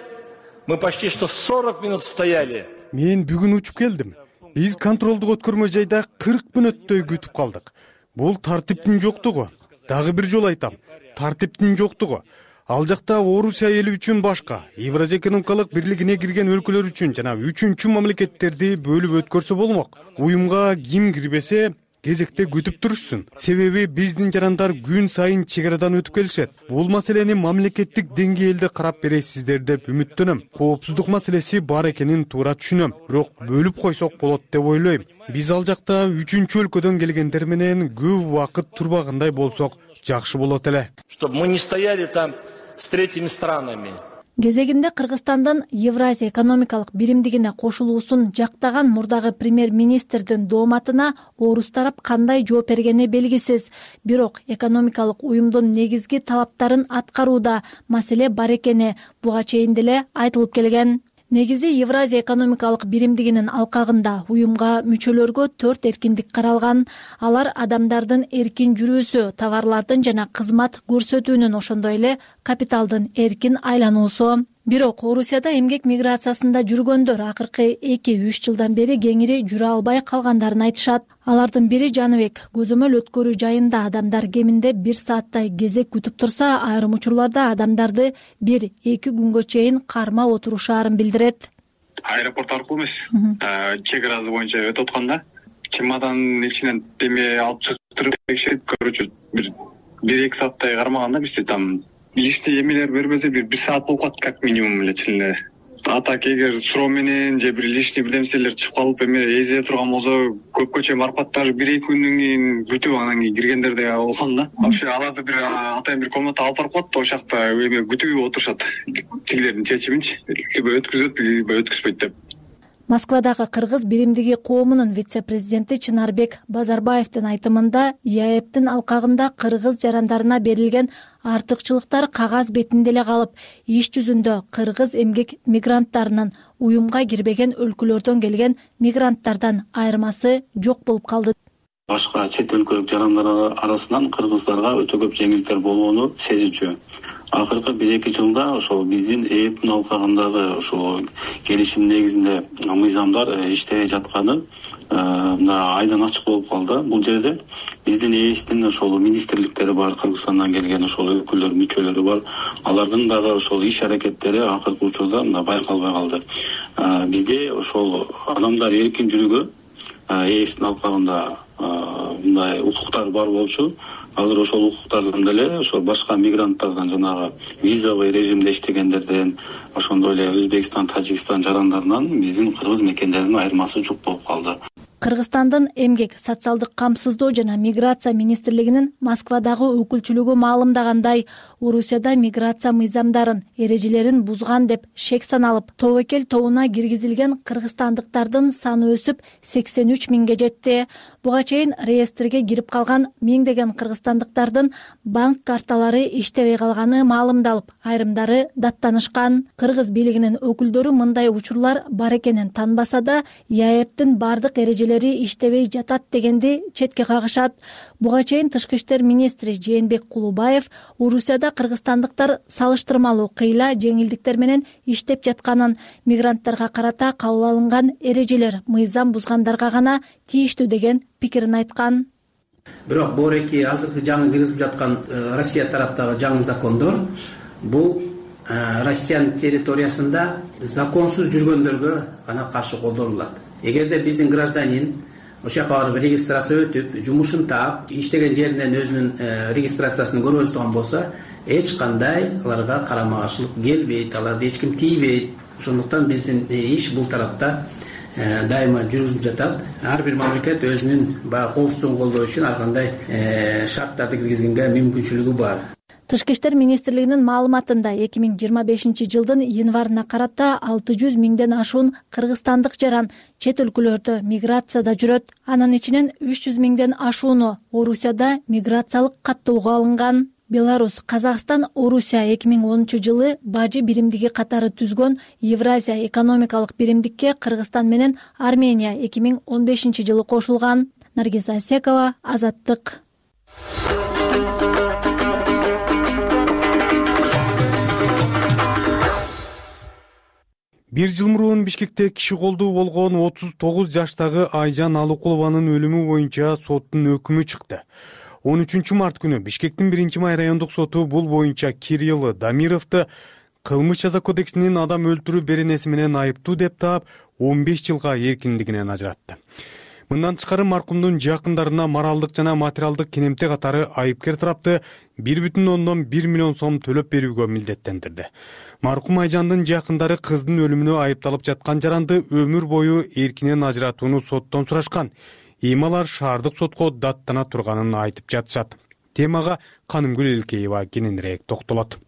мы почти что сорок минут стояли. Мен бүгүн учуп келдим. Биз контролдук өткөрмө жайда кырк мүнөттөй күтүп калдык. Бул тартиптин жоктугу. Дагы бир жолу айтам, тартиптин жоктугу. Ал жакта Орусия эли үчүн башка, Евразия экономикалык бирлигине кирген өлкөлөр үчүн жана үчүнчү мамлекеттерди бөлүп өткөрсө болмок. Уюмга ким кирбесе кезекте күтүп турушсун. Себеби биздин жарандар күн сайын чек арадан өтүп келишет. Бул маселени мамлекеттик деңгээлде карап бересиздер деп үмүттөнөм. Коопсуздук маселеси бар экенин туура түшүнөм. Бирок бөлүп койсок болот деп ойлойм. Биз ал жакта үчүнчү өлкөдөн келгендер менен көп убакыт турбагандай болсок жакшы болот эле. Чтобы мы не стояли там с третьими странами. Кезегинде Кыргызстандын Евразия экономикалык биримдигине кошулуусун жактаган мурдагы премьер-министрдин дооматына орус тарап кандай жооп бергени белгисиз. Бирок экономикалык уюмдун негизги талаптарын аткарууда маселе бар экени буга чейин деле айтылып келген. негизи Евразия экономикалык биримдигинин алкагында уюмга мүчөлөргө төрт эркиндик каралган. Алар адамдардын эркин жүрүүсү, товарлардын жана кызмат көрсөтүүнүн, ошондой эле капиталдын эркин айлануусу. Бирок Орусияда эмгек миграциясында жүргөндөр акыркы эки үч жылдан бери кеңири жүрө албай калгандарын айтышат. Алардын бири Жаныбек. Көзөмөл өткөрүү жайында адамдар кеминде бир сааттай кезек күтүп турса, айрым учурларда адамдарды бир эки күнгө чейин кармап отурушаарын билдирет. Аэропорт аркылуу эмес, чек ыраазы боюнча өтүп атканда чемоданын ичинен деме алып чыгып текшерип, короче, бир бир эки сааттай кармаганда бизде там лишний эмелер бербесе бир бир саат болуп калат как минимум эле чын эле. А так эгер суроо менен же бир лишний бирнерселер чыгып калып эме эзее турган болсо көпкө чейин барып калат, даже бир эки күндөн кийин күтүп анан кийин киргендер да болгон да. Вообще аларды бир атайын бир комната алып барып коет да, ошол жакта эме күтүп отурушат. Тигилердин чечиминчи, либо өткүзөт, либо өткүзбөйт деп. Москвадагы кыргыз биримдиги коомунун вице-президенти Чынарбек Базарбаевдин айтымында ЯЭПтин алкагында кыргыз жарандарына берилген артыкчылыктар кагаз бетинде эле калып, иш жүзүндө кыргыз эмгек мигранттарынын уюмга кирбеген өлкөлөрдөн келген мигранттардан айырмасы жок болуп калды. Башка чет өлкөлүк жарандар арасынан кыргыздарга өтө көп жеңилдиктер болгону сезилчү. Акыркы бир эки жылда ошол биздин ЭЭПтин алкагындагы ошол келишим негизинде мыйзамдар иштебей жатканы мына айдан ачык болуп калды. Бул жерде биздин ЭЭСтин ошол министрликтери бар, Кыргызстандан келген ошол өкүлдөр, мүчөлөрү бар. Алардын дагы ошол иш аракеттери акыркы учурда мына байкалбай калды. Бизде ошол адамдар эркин жүрүүгө ЭЭСтин алкагында мындай укуктар бар болчу. Азыр ошол укуктардан деле ошо башка мигранттардан, жанагы визовый режимде иштегендерден, ошондой эле Өзбекстан, Тажикстан жарандарынан биздин кыргыз мекендердин айырмасы жок болуп калды. Кыргызстандын эмгек, социалдык камсыздоо жана миграция министрлигинин Москвадагы өкүлчүлүгү маалымдагандай, Орусияда миграция мыйзамдарын, эрежелерин бузган деп шек саналып, тобокел тобуна киргизилген кыргызстандыктардын саны өсүп сексен үч миңге жетти. Буга чейин реестрге кирип калган миңдеген кыргызстандыктардын банк карталары иштебей калганы маалымдалып, айрымдары даттанышкан. Кыргыз бийлигинин өкүлдөрү мындай учурлар бар экенин танбаса да, ЯЭПтин бардык эрежелери иштебей жатат дегенди четке кагышат. Буга чейин тышкы иштер министри Жээнбек Кулубаев Орусияда кыргызстандыктар салыштырмалуу кыйла жеңилдиктер менен иштеп жатканын, мигранттарга карата кабыл алынган эрежелер мыйзам бузгандарга гана тийиштүү деген пикирин айткан. Бирок боореки азыркы жаңы киргизип жаткан Россия тараптагы жаңы закондор бул Россиянын территориясында законсуз жүргөндөргө гана каршы колдонулат. Эгерде биздин гражданин ошол жака барып регистрация өтүп, жумушун таап, иштеген жеринен өзүнүн регистрациясын көргөзүп турган болсо, эч кандай аларга карама каршылык келбейт, аларды эч ким тийбейт. Ошондуктан биздин иш бул тарапта дайыма жүрүлүп жатат. Ар бир мамлекет өзүнүн баягы коопсуздугун колдоо үчүн ар кандай шарттарды киргизгенге мүмкүнчүлүгү бар. Тышкы иштер министрлигинин маалыматында эки миң жыйырма бешинчи жылдын январына карата алты жүз миңден ашуун кыргызстандык жаран чет өлкөлөрдө миграцияда жүрөт. Анын ичинен үч жүз миңден ашууну Орусияда миграциялык каттоого алынган. Беларусь, Казакстан, Орусия эки миң онунчу жылы бажы биримдиги катары түзгөн Евразия экономикалык биримдикке Кыргызстан менен Армения эки миң он бешинчи жылы кошулган. Наргиза Асекова, Азаттык. Бир жыл мурун Бишкекте киши колдуу болгон отуз тогуз жаштагы Айжан Алыкулованын өлүмү боюнча соттун өкүмү чыкты. он үчүнчү март күнү Бишкектин биринчи май райондук соту бул боюнча Кирилл Дамировду кылмыш жаза кодексинин адам өлтүрүү беренеси менен айыптуу деп таап он беш жылга эркиндигинен ажыратты. Мындан тышкары маркумдун жакындарына моралдык жана материалдык кинемте катары айыпкер тарапты бир бүтүн ондон бир миллион сом төлөп берүүгө милдеттендирди. Маркум Айжандын жакындары кыздын өлүмүнө айыпталып жаткан жаранды өмүр бою эркинен ажыратууну соттон сурашкан. Эми алар шаардык сотко даттана турганын айтып жатышат. Темага Канымгүл Элкеева кененирээк токтолот.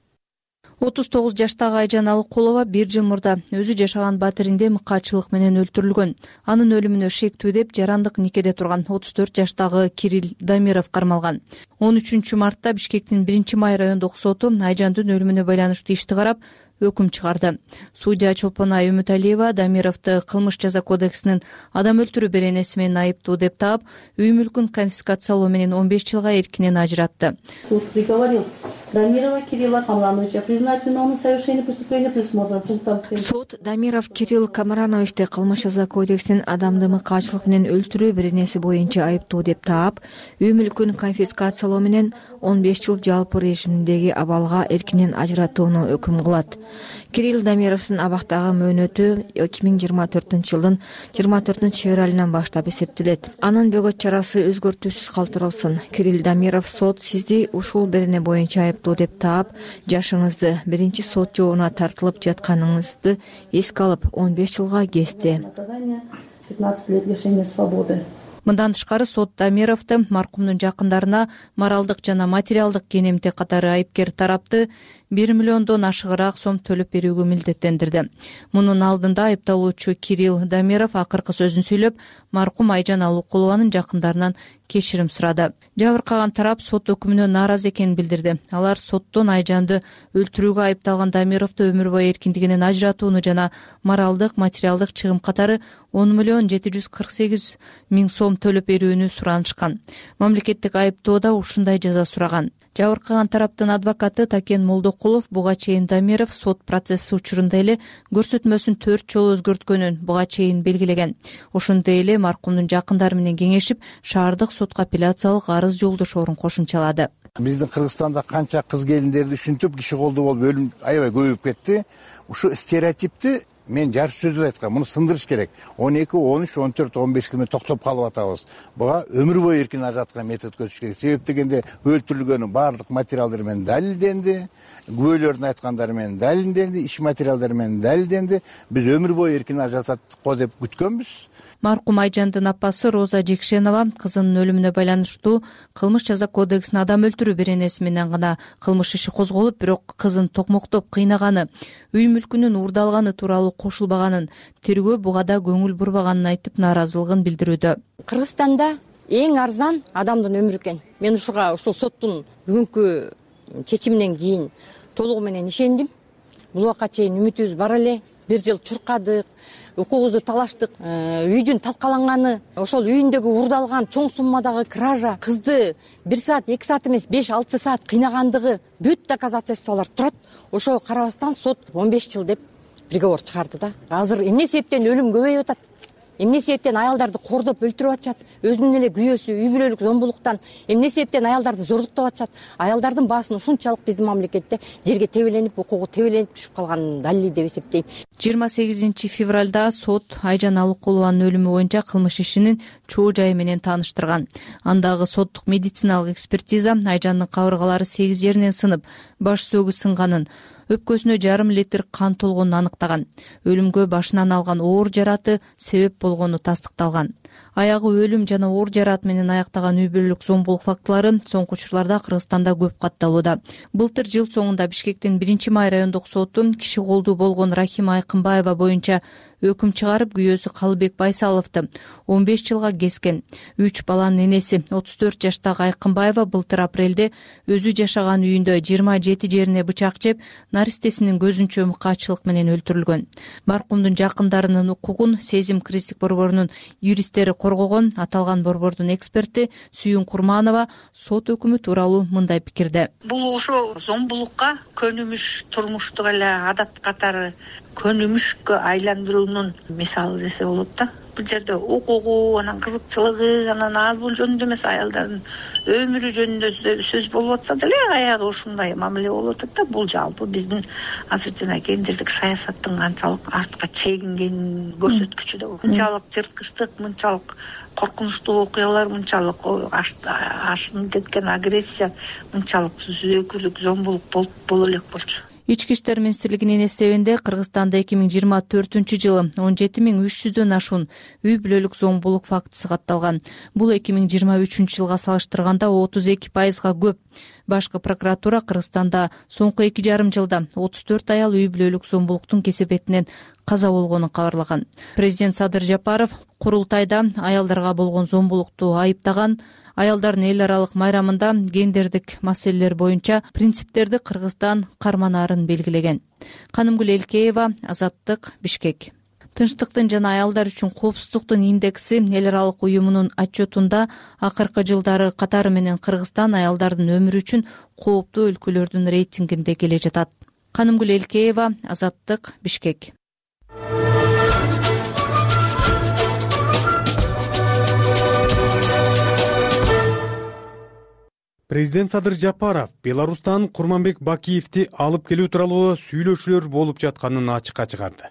отуз тогуз жаштагы Айжан Алыкулова бир жыл мурда өзү жашаган батиринде мыкаачылык менен өлтүрүлгөн. Анын өлүмүнө шектүү деп жарандык никеде турган отуз төрт жаштагы Кирилл Дамиров кармалган. он үчүнчү мартта Бишкектин биринчи май райондук соту Айжандын өлүмүнө байланыштуу ишти карап өкүм чыгарды. Судья Чолпонай Үмүталиева Дамировду кылмыш жаза кодексинин адам өлтүрүү беренеси менен айыптуу деп таап, үй мүлкүн конфискациялоо менен он беш жылга эркинен ажыратты. Суд приговорил Дамирова Кирилла Камрановича признать виновным в совершении преступления предусмотренного пунктом семь. Суд Дамиров Кирилл Камрановичти кылмыш жаза кодексинин адамды мыкаачылык менен өлтүрүү беренеси боюнча айыптуу деп таап, үй мүлкүн конфискациялоо менен он беш жыл жалпы режимдеги абалга эркинен ажыратууну өкүм кылат. Кирилл Дамировдун абактагы мөөнөтү эки миң жыйырма төртүнчү жылдын жыйырма төртүнчү февралынан баштап эсептелет. Анын бөгөт чарасы өзгөртүүсүз калтырылсын. Кирилл Дамиров сот сизди ушул берене боюнча айыптуу деп таап, жашыңызды биринчи сот жообуна тартылып жатканыңызды эске алып он беш жылга кести. пятнадцать лет лишения свободы. Мындан тышкары сот Дамировду маркумдун жакындарына моралдык жана материалдык кенемтек катары айыпкер тарапты бир миллиондон ашыгыраак сом төлөп берүүгө милдеттендирди. Мунун алдында айыпталуучу Кирилл Дамиров акыркы сөзүн сүйлөп, маркум Айжан Алыкулованын жакындарынан кечирим сурады. Жабыркаган тарап сот өкүмүнө нааразы экенин билдирди. Алар соттон Айжанды өлтүрүүгө айыпталган Дамировду өмүр бою эркиндигинен ажыратууну жана моралдык, материалдык чыгым катары он миллион жети жүз кырк сегиз миң сом төлөп берүүнү суранышкан. Мамлекеттик айыптоодо ушундай жаза сураган. Жабыркаган тараптын адвокаты Такен Молдокулов буга чейин Дамиров сот процесси учурунда эле көрсөтмөсүн төрт жолу өзгөрткөнүн буга чейин белгилеген. Ошондой эле маркумдун жакындары менен кеңешип, шаардык сотко апелляциялык арыз жолдошоорун кошумчалады. Биздин Кыргызстанда канча кыз келиндерди ушинтип киши колдуу болуп өлүм аябай көбөйүп кетти. Ушу стереотипти мен жарыш сөзү айткам, муну сындырыш керек. он эки, он үч, он төрт, он беш жыл менен токтоп калып атабыз. Буга өмүр бою эркин ажыраткан метод көзүш керек. Себеп дегенде өлтүрүлгөнү баардык материалдар менен далилденди, күбөлөрдүн айткандары менен далилденди, иш материалдары менен далилденди. Биз өмүр бою эркин ажыратат го деп күткөнбүз. Маркум Айжандын апасы Роза Жекшенова кызынын өлүмүнө байланыштуу кылмыш жаза кодексинин адам өлтүрүү беренеси менен гана кылмыш иши козголуп, бирок кызын токмоктоп кыйнаганы, үй мүлкүнүн уурдалганы тууралуу кошулбаганын, тергөө буга да көңүл бурбаганын айтып нааразылыгын билдирүүдө. Кыргызстанда эң арзан адамдын өмүрү экен. Мен ушуга ушул соттун бүгүнкү чечиминен кийин толугу менен ишендим. Бул убакка чейин үмүтүбүз бар эле. Бир жыл чуркадык, укугубузду талаштык, үйдүн талкаланганы, ошол үйүндөгү уурдалган чоң суммадагы кража, кызды бир саат, эки саат эмес, беш, алты саат кыйнагандыгы бүт доказательстволор турат. Ошого карабастан сот он беш жыл деп приговор чыгарды да. Азыр эмне себептен өлүм көбөйүп атат? Эмне себептен аялдарды кордоп өлтүрүп атышат? Өзүнүн эле күйөөсү үй бүлөлүк зомбулуктан эмне себептен аялдарды зордуктап атышат? Аялдардын баасын ушунчалык биздин мамлекетте жерге тебеленип, укугу тебеленип түшүп калганын далили деп эсептейм. жыйырма сегизинчи февралда сот Айжан Алыкулованын өлүмү боюнча кылмыш ишинин чоо жайы менен тааныштырган. Андагы соттук медициналык экспертиза Айжандын кабыргалары сегиз жеринен сынып, баш сөөгү сынганын, өпкөсүнө жарым литр кан толгонун аныктаган. Өлүмгө башынан алган оор жараты себеп болгону тастыкталган. Аягы өлүм жана оор жарат менен аяктаган үй бүлөлүк зомбулук фактылары соңку учурларда Кыргызстанда көп катталууда. Былтыр жыл соңунда Бишкектин биринчи май райондук соту киши колдуу болгон Рахима Айкынбаева боюнча өкүм чыгарып, күйөөсү Калыбек Байсаловду он беш жылга кескен. Үч баланын энеси отуз төрт жаштагы Айкынбаева былтыр апрелде өзү жашаган үйүндө жыйырма жети жерине бычак жеп, наристесинин көзүнчө мыкаачылык менен өлтүрүлгөн. Маркумдун жакындарынын укугун Сезим Кристик борборунун юристтери коргогон. Аталган борбордун эксперти Сүйүн Курманова сот өкүмү тууралуу мындай пикирде. Бул ошо зомбулукка көнүмүш, турмуштук эле адат катары көнүмүшкө айландыруунун мисалы десе болот да. Бул жерде укугу, анан кызыкчылыгы, анан ал бул жөнүндө эмес, аялдардын өмүрү жөнүндө сөз болуп атса деле аягы ушундай мамиле болуп атат да. Бул жалпы биздин азыр жана гендердик саясаттын канчалык артка чегингенин көрсөткүчү да. Мынчалык жырткычтык, мынчалык коркунучтуу окуялар, мынчалык ашынып кеткен агрессия, мынчалык зөөкүрлүк, зомбулук болуп боло элек болчу. Ички иштер министрлигинин эсебинде Кыргызстанда эки миң жыйырма төртүнчү жылы он жети миң үч жүздөн ашуун үй бүлөлүк зомбулук фактысы катталган. Бул эки миң жыйырма үчүнчү жылга салыштырганда отуз эки пайызга көп. Башкы прокуратура Кыргызстанда соңку эки жарым жылда отуз төрт аял үй бүлөлүк зомбулуктун кесепетинен каза болгонун кабарлаган. Президент Садыр Жапаров курултайда аялдарга болгон зомбулукту айыптаган. Аялдардын эл аралык майрамында гендердик маселелер боюнча принциптерди Кыргызстан карманаарын белгилеген. Канымгүл Элкеева, Азаттык, Бишкек. Тынчтыктын жана аялдар үчүн коопсуздуктун индекси эл аралык уюмунун отчетунда акыркы жылдары катары менен Кыргызстан аялдардын өмүрү үчүн кооптуу өлкөлөрдүн рейтингинде келе жатат. Канымгүл Элкеева, Азаттык, Бишкек. Президент Садыр Жапаров Беларустан Курманбек Бакиевди алып келүү тууралуу сүйлөшүүлөр болуп жатканын ачыкка чыгарды.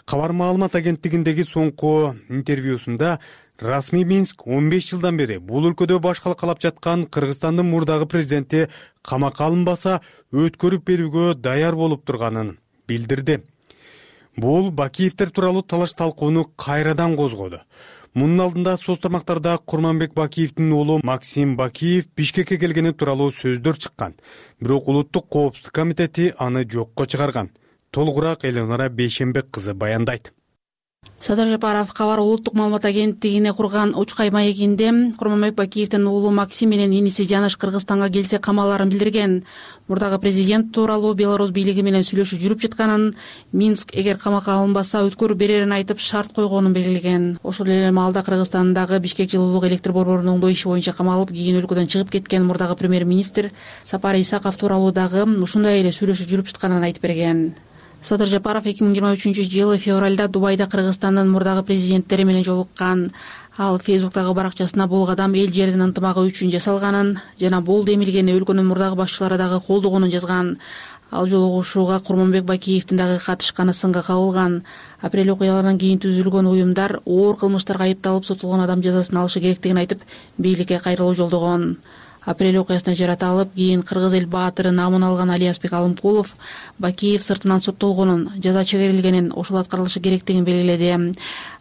Кабар маалымат агенттигиндеги соңку интервьюсунда расмий Минск он беш жылдан бери бул өлкөдө башкалык калап жаткан Кыргызстандын мурдагы президенти камакка алынбаса өткөрүп берүүгө даяр болуп турганын билдирди. Бул Бакиевдер тууралуу талаш талкууну кайрадан козгоду. Мунун алдында соц тармактарда Курманбек Бакиевдин уулу Максим Бакиев Бишкекке келгени тууралуу сөздөр чыккан. Бирок Улуттук коопсуздук комитети аны жокко чыгарган. Толугураак Элеонора Бейшенбек кызы баяндайт. Садыр Жапаров кабар улуттук маалымат агенттигине курган Учкай маегинде Курманбек Бакиевдин уулу Максим менен иниси Жаныш Кыргызстанга келсе камалаарын билдирген. Мурдагы президент тууралуу Беларусь бийлиги менен сүйлөшүү жүрүп жатканын, Минск эгер камакка алынбаса өткөрүп берерин айтып шарт койгонун белгилеген. Ошол эле маалда Кыргызстандагы Бишкек жылуулук электр борборунун оңдоо иши боюнча камалып, кийин өлкөдөн чыгып кеткен мурдагы премьер-министр Сапар Исаков тууралуу дагы ушундай эле сүйлөшүү жүрүп жатканын айтып берген. Садыр Жапаров эки миң жыйырма үчүнчү жылы февралда Дубайда Кыргызстандын мурдагы президенттери менен жолуккан. Ал Фейсбуктагы баракчасына бул кадам эл жердин ынтымагы үчүн жасалганын жана болду эмилгени өлкөнүн мурдагы башчылары дагы колдогонун жазган. Ал жолугушууга Курманбек Бакиевдин дагы катышканы сынга кабылган. Апрель окуяларынан кийин түзүлгөн уюмдар оор кылмыштарга айыпталып сотулгон адам жазасын алышы керектигин айтып, бийликке кайрылуу жолдогон. Апрель окуясына жарата алып, кийин кыргыз эл баатыры намын алган Алиязбек Алымкулов Бакиев сыртынан соттолгонун, жаза чегерилгенин, ошол аткарылышы керектигин белгиледи.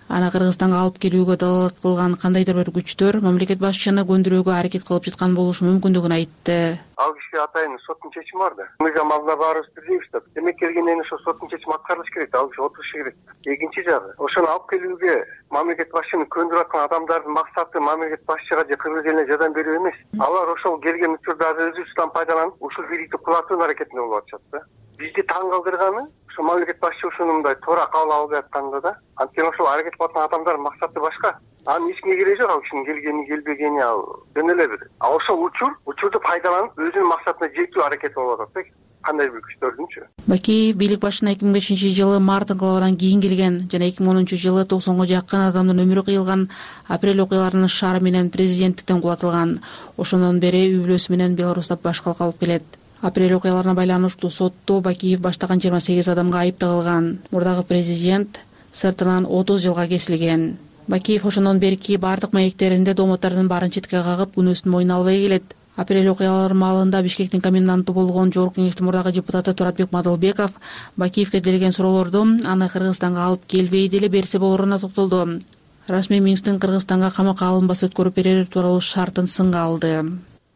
Аны Кыргызстанга алып келүүгө далалат кылган кандайдыр бир күчтөр мамлекет башчыны көндүрүүгө аракет кылып жаткан болушу мүмкүндүгүн айтты. Ал киши атайын соттун чечими бар да. Мыйзам алдында баарыбыз бирдейбиз да. Демек келгенден ошо соттун чечими аткарылышы керек, ал киши отурушу керек. Экинчи жагы, ошону алып келүүгө мамлекет башчыны көндүрүп аткан адамдардын максаты мамлекет башчыга же кыргыз элине жардам берүү эмес. Алар ошол келген учурда өзүбүздөн пайдаланып, ушул бийликти кулатуунун аракетинде болуп атышат да. Бизди таң калтырганы ошо мамлекет башчы ушуну мындай туура кабыл албай атканда да. Анткени ошол аракет кылып аткан адамдардын максаты башка. Анын эч кимге кереги жок, ал кишинин келгени келбегени ал жөн эле бир. А ошол учур, учурду пайдаланып өзүнүн максатына жетүү аракети болуп атат да. Кандай бир күчтөрдүнчү. Бакиев бийлик башына эки миң бешинчи жылы март инкылабынан кийин келген жана эки миң онунчу жылы токсонго жакын адамдын өмүрү кыйылган апрель окуяларынын шаары менен президенттиктен кулатылган. Ошондон бери үй бүлөсү менен Беларусьта башкалык алып келет. Апрель окуяларына байланыштуу сотто Бакиев баштаган жыйырма сегиз адамга айып тагылган. Мурдагы президент сыртынан отуз жылга кесилген. Бакиев ошондон берки бардык маектеринде домоттордун баарын четке кагып, күнөөсүн мойнуна албай келет. Апрель окуялары маалында Бишкектин коменданты болгон Жогорку Кеңештин мурдагы депутаты Туратбек Мадылбеков Бакиевке делген суроолорду аны Кыргызстанга алып келбей деле берсе болоруна токтолду. Расмий Минсктин Кыргызстанга камакка алынбаса өткөрүп берери тууралуу шартын сынга алды.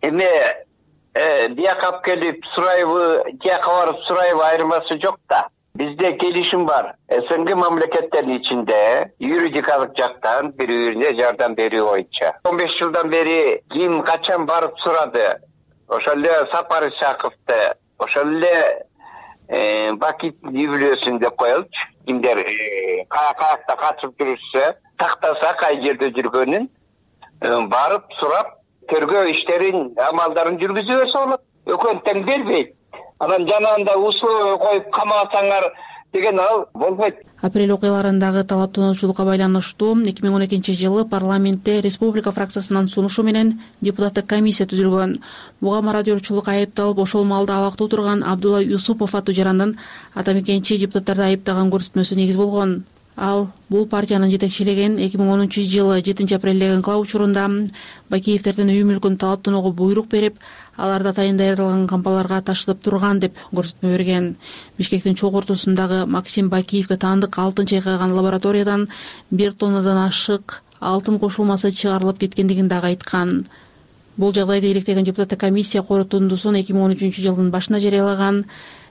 Эми бияка алып келип сурайбы, тияка барып сурайбы айырмасы жок да. Бизде келишим бар. СНГ мамлекеттеринин ичинде юридикалык жактан бири-бирине жардам берүү боюнча. он беш жылдан бери ким качан барып сурады? Ошол эле Сапар Исаковду, ошол эле Бакиевдин үй бүлөсүн деп коелучу. Кимдер каякта катышып жүрүшсө, тактаса кай жерде жүргөнүн барып сурап, тергөө иштерин, амалдарын жүргүзүп берсе болот. Өкмөт тең бербейт. Анан жанагында условия коюп камасаңар деген ал болбойт. Апрель окуяларындагы талаптануучулукка байланыштуу эки миң он экинчи жылы парламентте республика фракциясынын сунушу менен депутаттык комиссия түзүлгөн. Буга мародёрчулук айыпталып, ошол маалда абакта отурган Абдулла Юсупов аттуу жарандын ата мекенчи депутаттарды айыптаган көрсөтмөсү негиз болгон. ал бул партиянын жетекчилеген эки миң онунчу жылы жетинчи апрелдеги инкылап учурунда Бакиевдердин үй мүлкүн талаптоого буйрук берип, аларды атайын даярдалган кампаларга ташытып турган деп көрсөтмө берген. Бишкектин чогуу ортосундагы Максим Бакиевге таандык алтын чайкаган лабораториядан бир тоннадан ашык алтын кошулмасы чыгарылып кеткендигин дагы айткан. Бул жагдайды иликтеген депутаттык комиссия корутундусун эки миң он үчүнчү жылдын башында жарыялаган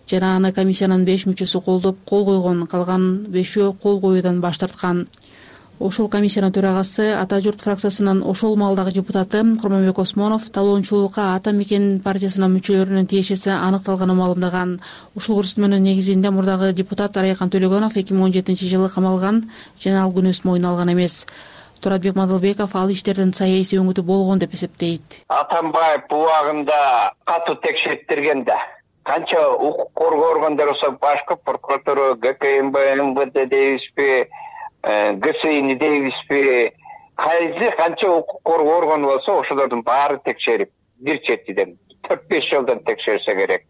жана аны комиссиянын беш мүчөсү колдоп кол койгон, калган бешөө кол коюудан баш тарткан. Ошол комиссиянын төрагасы Ата журт фракциясынын ошол маалдагы депутаты Курманбек Осмонов талоончулукка Ата мекен партиясынын мүчөлөрүнүн тиешеси аныкталганын маалымдаган. Ушул көрсөтмөнүн негизинде мурдагы депутат Райкан Төлөгөнов эки миң он жетинчи жылы камалган жана ал күнөөсүн мойнуна алган эмес. Туратбек Мадылбеков ал иштердин саясий өңүтү болгон деп эсептейт. Атамбаев убагында катуу текшертирген да. Канча укук коргоо органдары болсо башкы прокуратура, ГКМБ, МВД дейбизби, ГСИ дейбизби, кайсы канча укук коргоо органы болсо ошолордун баары текшерип, бир четиден төрт беш жылдан текшерсе керек.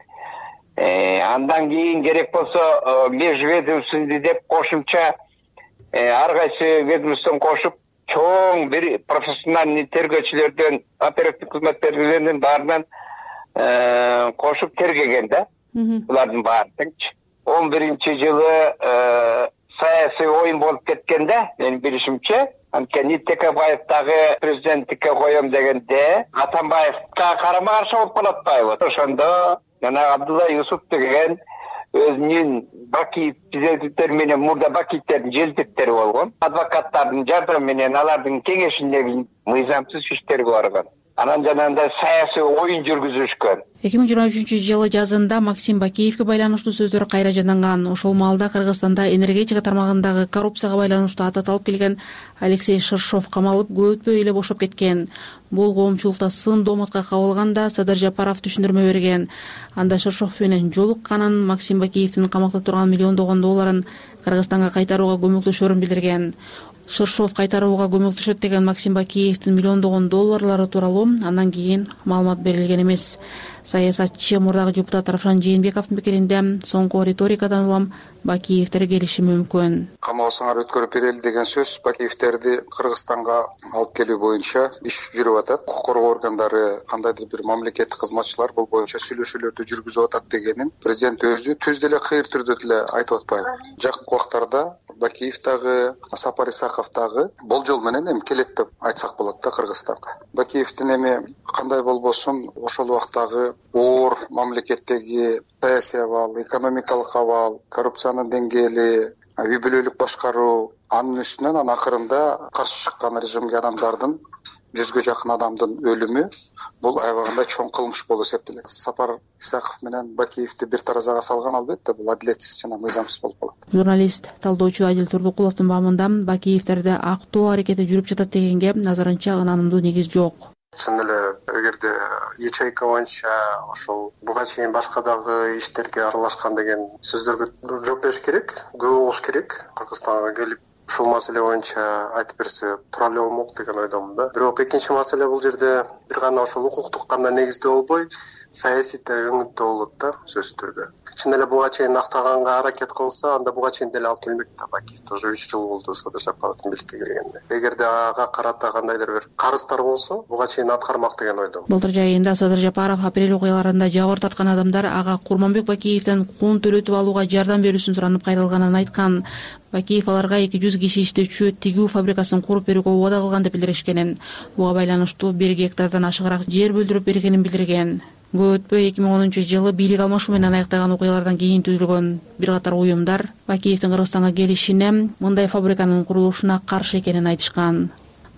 Андан кийин керек болсо межведомственный деп кошумча ар кайсы ведомствоны кошуп, чоң бир профессиональный тергөөчүлөрдөн, оперативдик кызматкерлердин баарынан кошуп тергеген да. Булардын баары теңчи. он биринчи жылы саясий оюн болуп кеткен да, менин билишимче. Анткени Текебаев дагы президенттикке коем дегенде Атамбаевга карама каршы болуп калат атпайбы? Ошондо жана Абдулла Юсуп деген өзүнүн Бакиев президенттер менен мурда Бакиевтердин желтектери болгон. Адвокаттардын жардамы менен алардын кеңешинде мыйзамсыз иштерге барган. Анан жанагындай саясий оюн жүргүзүшкөн. эки миң жыйырма үчүнчү жылы жазында Максим Бакиевге байланыштуу сөздөр кайра жанданган. Ошол маалда Кыргызстанда энергетика тармагындагы коррупцияга байланыштуу аты аталып келген Алексей Шершов камалып, көп өтпөй эле бошоп кеткен. Бул коомчулукта сын дооматка кабылганда Садыр Жапаров түшүндүрмө берген. Анда Шершов менен жолукканын, Максим Бакиевдин камакта турган миллиондогон долларын Кыргызстанга кайтарууга көмөктөшөрүн билдирген. Шершов кайтарууга көмөктөшөт деген Максим Бакиевдин миллиондогон долларлары тууралуу андан кийин маалымат берилген эмес. Саясатчы мурдагы депутат Равшан Жээнбековдун пикиринде соңку риторикадан улам Бакиевдер келиши мүмкүн. Камабасыңар өткөрүп берели деген сөз Бакиевтерди Кыргызстанга алып келүү боюнча иш жүрүп атат. Укук коргоо органдары, кандайдыр бир мамлекеттик кызматчылар бул боюнча сүйлөшүүлөрдү жүргүзүп атат дегенин президент өзү түз деле кыйыр түрдө деле айтып атпайбы? Жакынкы убактарда Бакиев дагы, Сапар Исаков дагы болжол менен эми келет деп айтсак болот да Кыргызстанга. Бакиевдин эми кандай болбосун ошол убактагы оор мамлекеттеги саясий абал, экономикалык абал, коррупциянын деңгээли, үй бүлөлүк башкаруу, анын үстүнөн анан акырында каршы чыккан режимге адамдардын жүзгө жакын адамдын өлүмү бул аябагында чоң кылмыш болуп эсептелет. Сапар Исаков менен Бакиевди бир таразага салган албетте бул адилетсиз жана мыйзамсыз болуп калат. Журналист, талдоочу Адил Турдукуловдун баамында Бакиевтерде актоо аракети жүрүп жатат дегенге назарынча ынанымдуу негиз жок. Чын эле эгерде ячейка боюнча ошол буга чейин башка дагы иштерге аралашкан деген сөздөргө жооп бериш керек, күбө болуш керек. Кыргызстанга келип ушул маселе боюнча айтып берсе туура эле болмок деген ойдомун да. Бирок экинчи маселе бул жерде бир гана ошол укуктук гана негизде болбой, саясий өңүттө болот да сөзсүз түрдө. Чын эле буга чейин актаганга аракет кылса, анда буга чейин деле алып келмек да. Бакиев тоже үч жыл болду Садыр Жапаровдун бийликке келгенде. Эгерде ага карата кандайдыр бир карыздар болсо, буга чейин аткармак деген ойдомун. Былтыр жайында Садыр Жапаров апрель окуяларында жабыр тарткан адамдар ага Курманбек Бакиевден кун төлөтүп алууга жардам берүүсүн суранып кайрылганын айткан. Бакиев аларга эки жүз киши иштөөчү тигүү фабрикасын куруп берүүгө убада кылган деп билдиришкенин. Буга байланыштуу бир гектардан ашыгыраак жер бөлдүрүп бергенин билдирген. Көп өтпөй эки миң онунчу жылы бийлик алмашуу менен аяктаган окуялардан кийин түзүлгөн бир катар уюмдар Бакиевдин Кыргызстанга келишине, мындай фабриканын курулушуна каршы экенин айтышкан.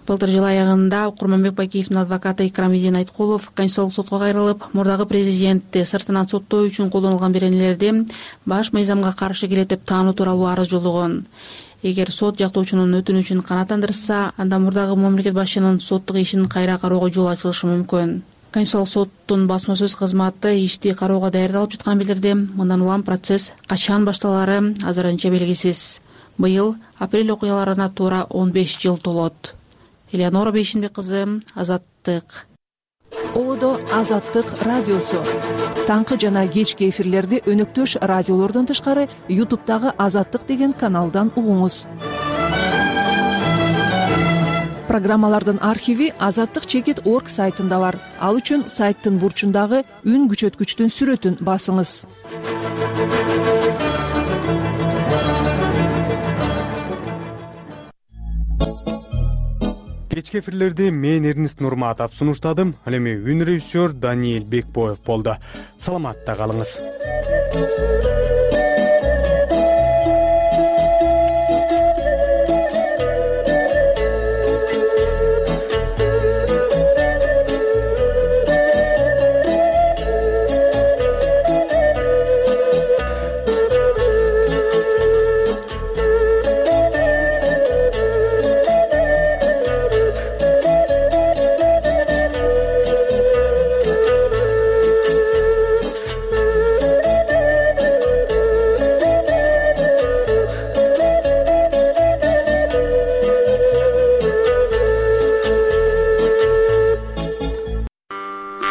Былтыр жыл аягында Курманбек Бакиевдин адвокаты Икрамидин Айткулов Конституциялык сотко кайрылып, мурдагы президентти сыртынан соттоо үчүн колдонулган беренелерди баш мыйзамга каршы келет деп таануу тууралуу арыз жолдогон. Эгер сот жактоочунун өтүнүчүн канааттандырса, анда мурдагы мамлекет башчынын соттук ишин кайра кароого жол ачылышы мүмкүн. Конституциялык соттун басма сөз кызматы ишти кароого даярдалып жатканын билдирди. Мындан улам процесс качан башталары азырынча белгисиз. Быйыл апрель окуяларына туура он беш жыл толот. Элеонора Бейшинбек кызы, Азаттык. Ободо Азаттык радиосу. Таңкы жана кечки эфирлерди өнөктөш радиолордон тышкары ютубтагы Азаттык деген каналдан угуңуз. программалардын архиви азаттык чекит орг сайтында бар. Ал үчүн сайттын бурчундагы үн күчөткүчтүн сүрөтүн басыңыз. Кечки эфирлерди мен Эрнист Нурматов сунуштадым. Ал эми үн режиссер Даниил Бекбоев болду. Саламатта калыңыз.